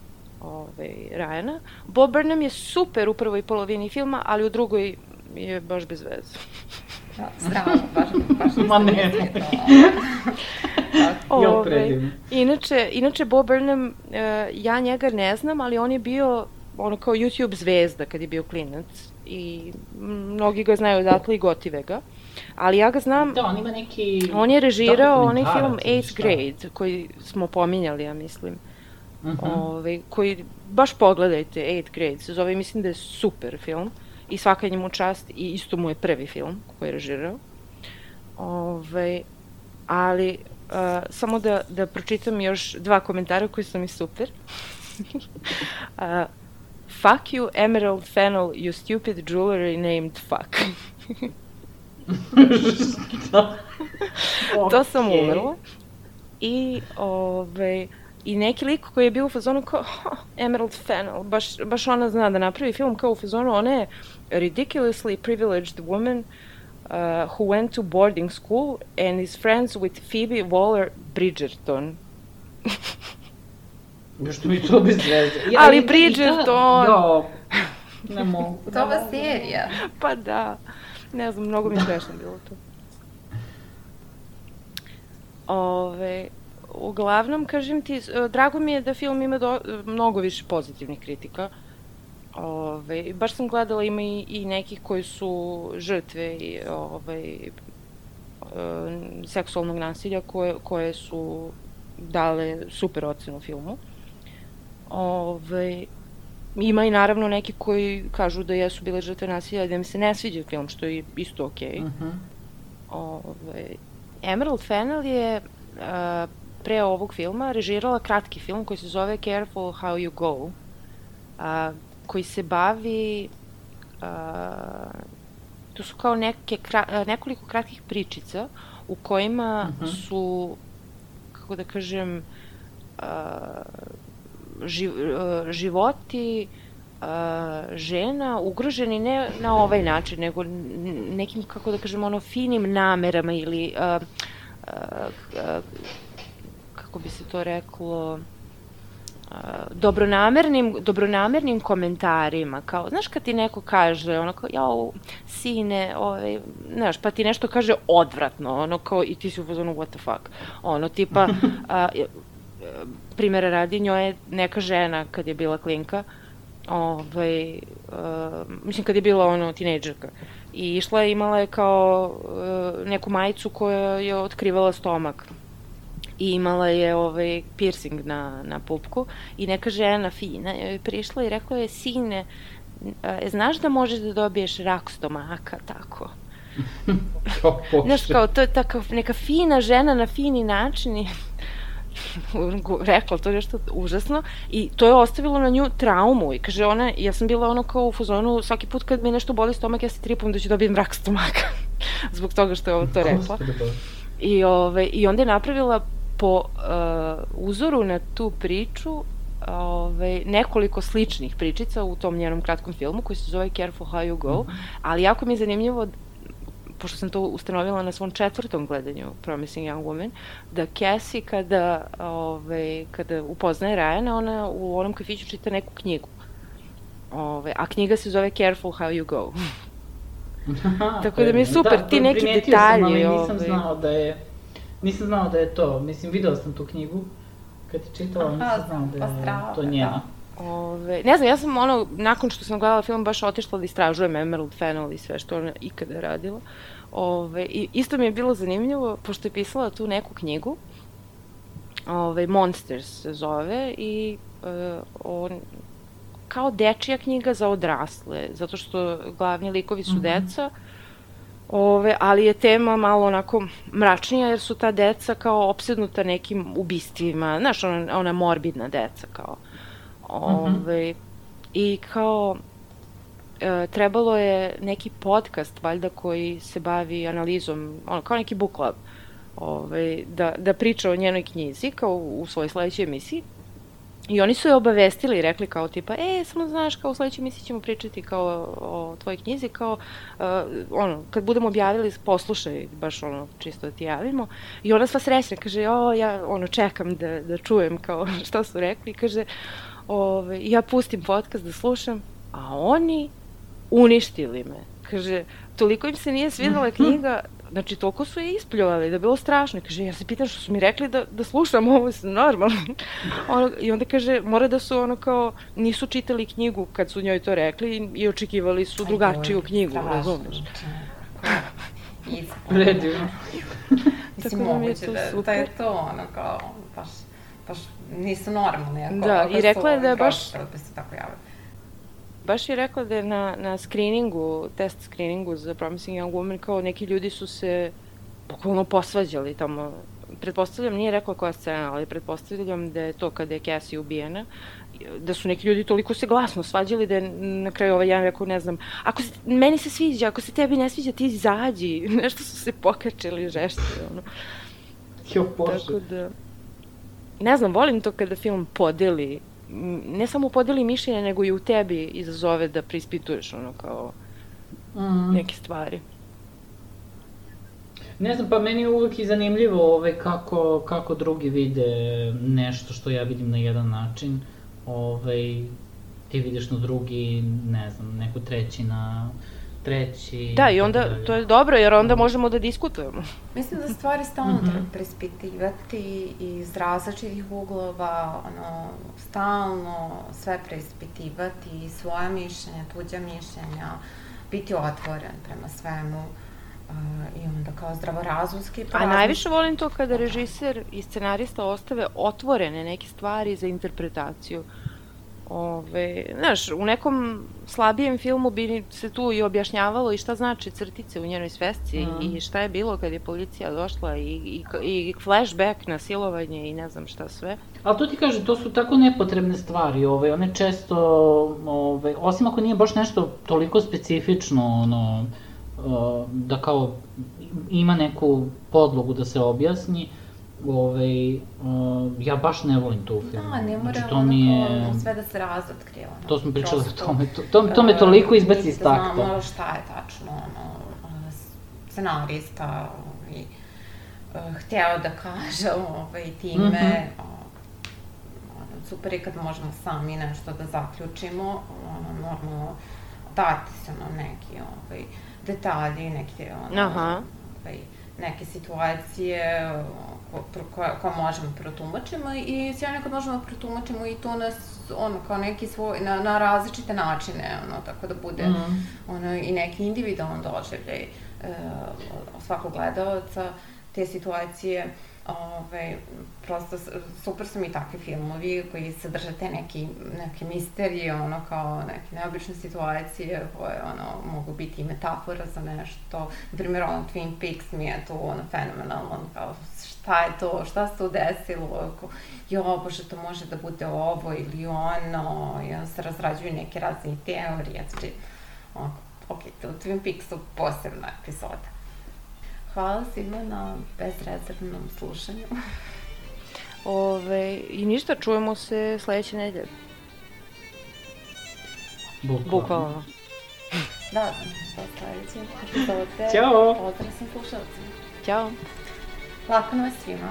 Speaker 1: ovaj, Ryana, Bo Burnham je super u prvoj polovini filma, ali u drugoj je baš bez veze.
Speaker 3: Da, strano, baš, baš
Speaker 2: Ma ne.
Speaker 1: Ove, inače, inače Bo Burnham, uh, ja njega ne znam, ali on je bio ono kao YouTube zvezda kad je bio klinac i mnogi ga znaju odatle i gotive ga. Ali ja ga znam,
Speaker 2: da, on ima neki...
Speaker 1: On je režirao onaj film Eighth Grade, koji smo pominjali, ja mislim. Uh-huh. Ove, koji, baš pogledajte, Eighth Grade se zove, mislim da je super film. I svaka njemu čast i isto mu je prvi film koji je režirao. Ove, ali uh, samo da, da pročitam još dva komentara koji su mi super. uh, fuck you, Emerald Fennel, you stupid jewelry named fuck. To sam umrla. I, ove, I neki lik koji je bio u fazonu kao oh, Emerald Fennel, baš, baš ona zna da napravi film kao u fazonu, ona je ridiculously privileged woman uh, who went to boarding school and is friends with Phoebe Waller-Bridgerton.
Speaker 2: Još to mi to bez veze.
Speaker 1: Ja, ali Bridgerton!
Speaker 2: Jo, ne mogu.
Speaker 3: To ova serija.
Speaker 1: Pa da, ne znam, mnogo mi smešno bilo to. Ove, uglavnom, kažem ti, drago mi je da film ima do, mnogo više pozitivnih kritika. Ove, baš sam gledala, ima i, i nekih koji su žrtve i, ove, seksualnog nasilja koje, koje su dale super ocenu filmu. Ove, ima i naravno neki koji kažu da jesu bile žrtve nasilja i da mi se ne sviđa film, što je isto okej. Okay. Uh-huh. Ove, Emerald Fennell je uh, pre ovog filma režirala kratki film koji se zove Careful How You Go, uh, koji se bavi uh, to su kao neke kra, nekoliko kratkih pričica u kojima uh-huh. su, kako da kažem, uh, živ, uh, životi uh, žena ugroženi ne na ovaj način, nego nekim, kako da kažem, ono, finim namerama ili uh, uh, uh, kako bi se to reklo, Uh, dobronamernim, dobronamernim komentarima, kao, znaš kad ti neko kaže, ono kao, jao, sine, ovaj, znaš, pa ti nešto kaže odvratno, ono kao, i ti si u fazonu, what the fuck, ono, tipa, uh, primjera radi, njoj je neka žena, kad je bila klinka, ovaj, uh, mislim, kad je bila, ono, tinejdžerka, i išla je, imala je kao uh, neku majicu koja je otkrivala stomak, i imala je ovaj piercing na, na pupku i neka žena fina je prišla i rekla je, sine, e, znaš da možeš da dobiješ rak stomaka, tako. Znaš, kao, to je taka neka fina žena na fini način i rekla to nešto užasno i to je ostavilo na nju traumu i kaže ona, ja sam bila ono kao u fazonu, svaki put kad mi nešto boli stomak ja se tripam da ću dobijem rak stomaka zbog toga što je ovo to rekla. I, ove, i onda je napravila po uh, uzoru na tu priču ove, nekoliko sličnih pričica u tom njenom kratkom filmu koji se zove Careful How You Go, mm-hmm. ali jako mi je zanimljivo, pošto sam to ustanovila na svom četvrtom gledanju Promising Young Woman, da Cassie kada, ove, kada upoznaje Ryana, ona u onom kafiću čita neku knjigu. Ove, a knjiga se zove Careful How You Go. Aha, tako da mi je super, da, ti neki detalji.
Speaker 2: Sam, ali nisam znao da je Nisam znao da je to, mislim, videla sam tu knjigu, kad ti čitala, nisam znao da je Ostrava, to njena.
Speaker 1: Da. Ove, ne znam, ja sam ono, nakon što sam gledala film, baš otišla da istražujem Emerald Fennell i sve što ona ikada radila. Ove, i isto mi je bilo zanimljivo, pošto je pisala tu neku knjigu, ove, Monsters se zove, i e, on, kao dečija knjiga za odrasle, zato što glavni likovi su mm-hmm. deca, Ove, ali je tema malo onako mračnija jer su ta deca kao opsednuta nekim ubistvima, znaš, ona, ona morbidna deca kao. Ove, mm-hmm. I kao e, trebalo je neki podcast valjda koji se bavi analizom, ono, kao neki book club, ove, da, da priča o njenoj knjizi kao u, u svojoj sledećoj emisiji. I oni su je obavestili i rekli kao tipa, e, samo znaš, kao u sledećoj emisiji ćemo pričati kao o tvojoj knjizi, kao, uh, ono, kad budemo objavili, poslušaj, baš ono, čisto da ti javimo. I ona sva srećna, kaže, o, ja, ono, čekam da, da čujem, kao, šta su rekli, kaže, ove, ja pustim podcast da slušam, a oni uništili me. Kaže, toliko im se nije svidela knjiga, znači, toliko su je ispljuvali da je bilo strašno. Kaže, ja se pitam što su mi rekli da, da slušam ovo normalno. Ono, i onda kaže, mora da su ono kao, nisu čitali knjigu kad su njoj to rekli i, i očekivali su drugačiju knjigu, razumeš?
Speaker 2: Predivno.
Speaker 3: Mislim, moguće da, da je to ono kao, baš, baš nisu normalni. Ako,
Speaker 1: da,
Speaker 3: ako
Speaker 1: i rekla je da je baš...
Speaker 3: Da se tako javaju.
Speaker 1: Baš je rekla da je na, na screeningu, test screeningu za Promising Young Woman, kao neki ljudi su se bukvalno posvađali tamo. Pretpostavljam, nije rekla koja scena, ali pretpostavljam da je to kada je Cassie ubijena, da su neki ljudi toliko se glasno svađali da je na kraju ovaj jedan rekao, ne znam, ako se, meni se sviđa, ako se tebi ne sviđa, ti izađi. Nešto su se pokačili žešće, ono.
Speaker 2: Jo, Bože.
Speaker 1: Tako da, ne znam, volim to kada film podeli, ne samo podeli mišljenje, nego i u tebi izazove da preispituješ ono kao mm. neke stvari.
Speaker 2: Ne znam, pa meni je uvek i zanimljivo ovaj, kako, kako drugi vide nešto što ja vidim na jedan način. Ovaj, ti vidiš na drugi, ne znam, neko treći na treći...
Speaker 1: Da, i onda, to je dobro, jer onda možemo da diskutujemo.
Speaker 3: Mislim da stvari stalno treba preispitivati iz različitih uglova, ono, stalno sve preispitivati, svoja mišljenja, tuđa mišljenja, biti otvoren prema svemu. Uh, i onda kao zdravorazumski...
Speaker 1: A najviše volim to kada režiser i scenarista ostave otvorene neke stvari za interpretaciju. Ove, znaš, u nekom slabijem filmu bi se tu i objašnjavalo i šta znači crtice u njenoj svesci mm. i šta je bilo kad je policija došla i, i, i flashback na silovanje i ne znam šta sve.
Speaker 2: Ali to ti kaže, to su tako nepotrebne stvari, ove, one često, ove, osim ako nije baš nešto toliko specifično, ono, da kao ima neku podlogu da se objasni, Ove, uh, ja baš ne volim tu film.
Speaker 3: Da, ne mora znači, ono je... kao sve da se razotkrije. Ono.
Speaker 2: To smo pričali o tome, to, to, to me toliko izbaci iz takta.
Speaker 3: Da znamo šta je tačno, ono, scenarista i, uh, hteo da kaže ovaj, time. Mm-hmm. uh, super je kad možemo sami nešto da zaključimo, ono, normalno dati se ono neki ovaj, detalji, neke, ono, ovaj, neke situacije koje možemo protumačimo i sjajno kad možemo protumačimo i to nas, ono, kao neki svoj, na, na različite načine, ono, tako da bude, mm. ono, i neki individualan doživljaj e, svakog gledalca, te situacije, ove, prosto super su mi takvi filmovi koji sadrže te neki, neke misterije, ono, kao neke neobične situacije koje, ono, mogu biti i metafora za nešto. Na primjer, ono, Twin Peaks mi je to, ono, fenomenalno, ono, kao, šta je to, šta se to desilo, ako, jo, bože, to može da bude ovo ili ono, i onda se razrađuju neke razne teorije, znači, ono, ok, to Twin Peaks su posebna epizoda. Hvala svima na bezrezervnom slušanju.
Speaker 1: Ove, I ništa, čujemo se sledeće nedelje.
Speaker 2: Bukvalno.
Speaker 1: Bukvalno.
Speaker 3: Da, do sledeće epizode.
Speaker 2: Ćao!
Speaker 3: Pozdrav svim slušalcima.
Speaker 1: Ćao!
Speaker 3: Lako noć svima.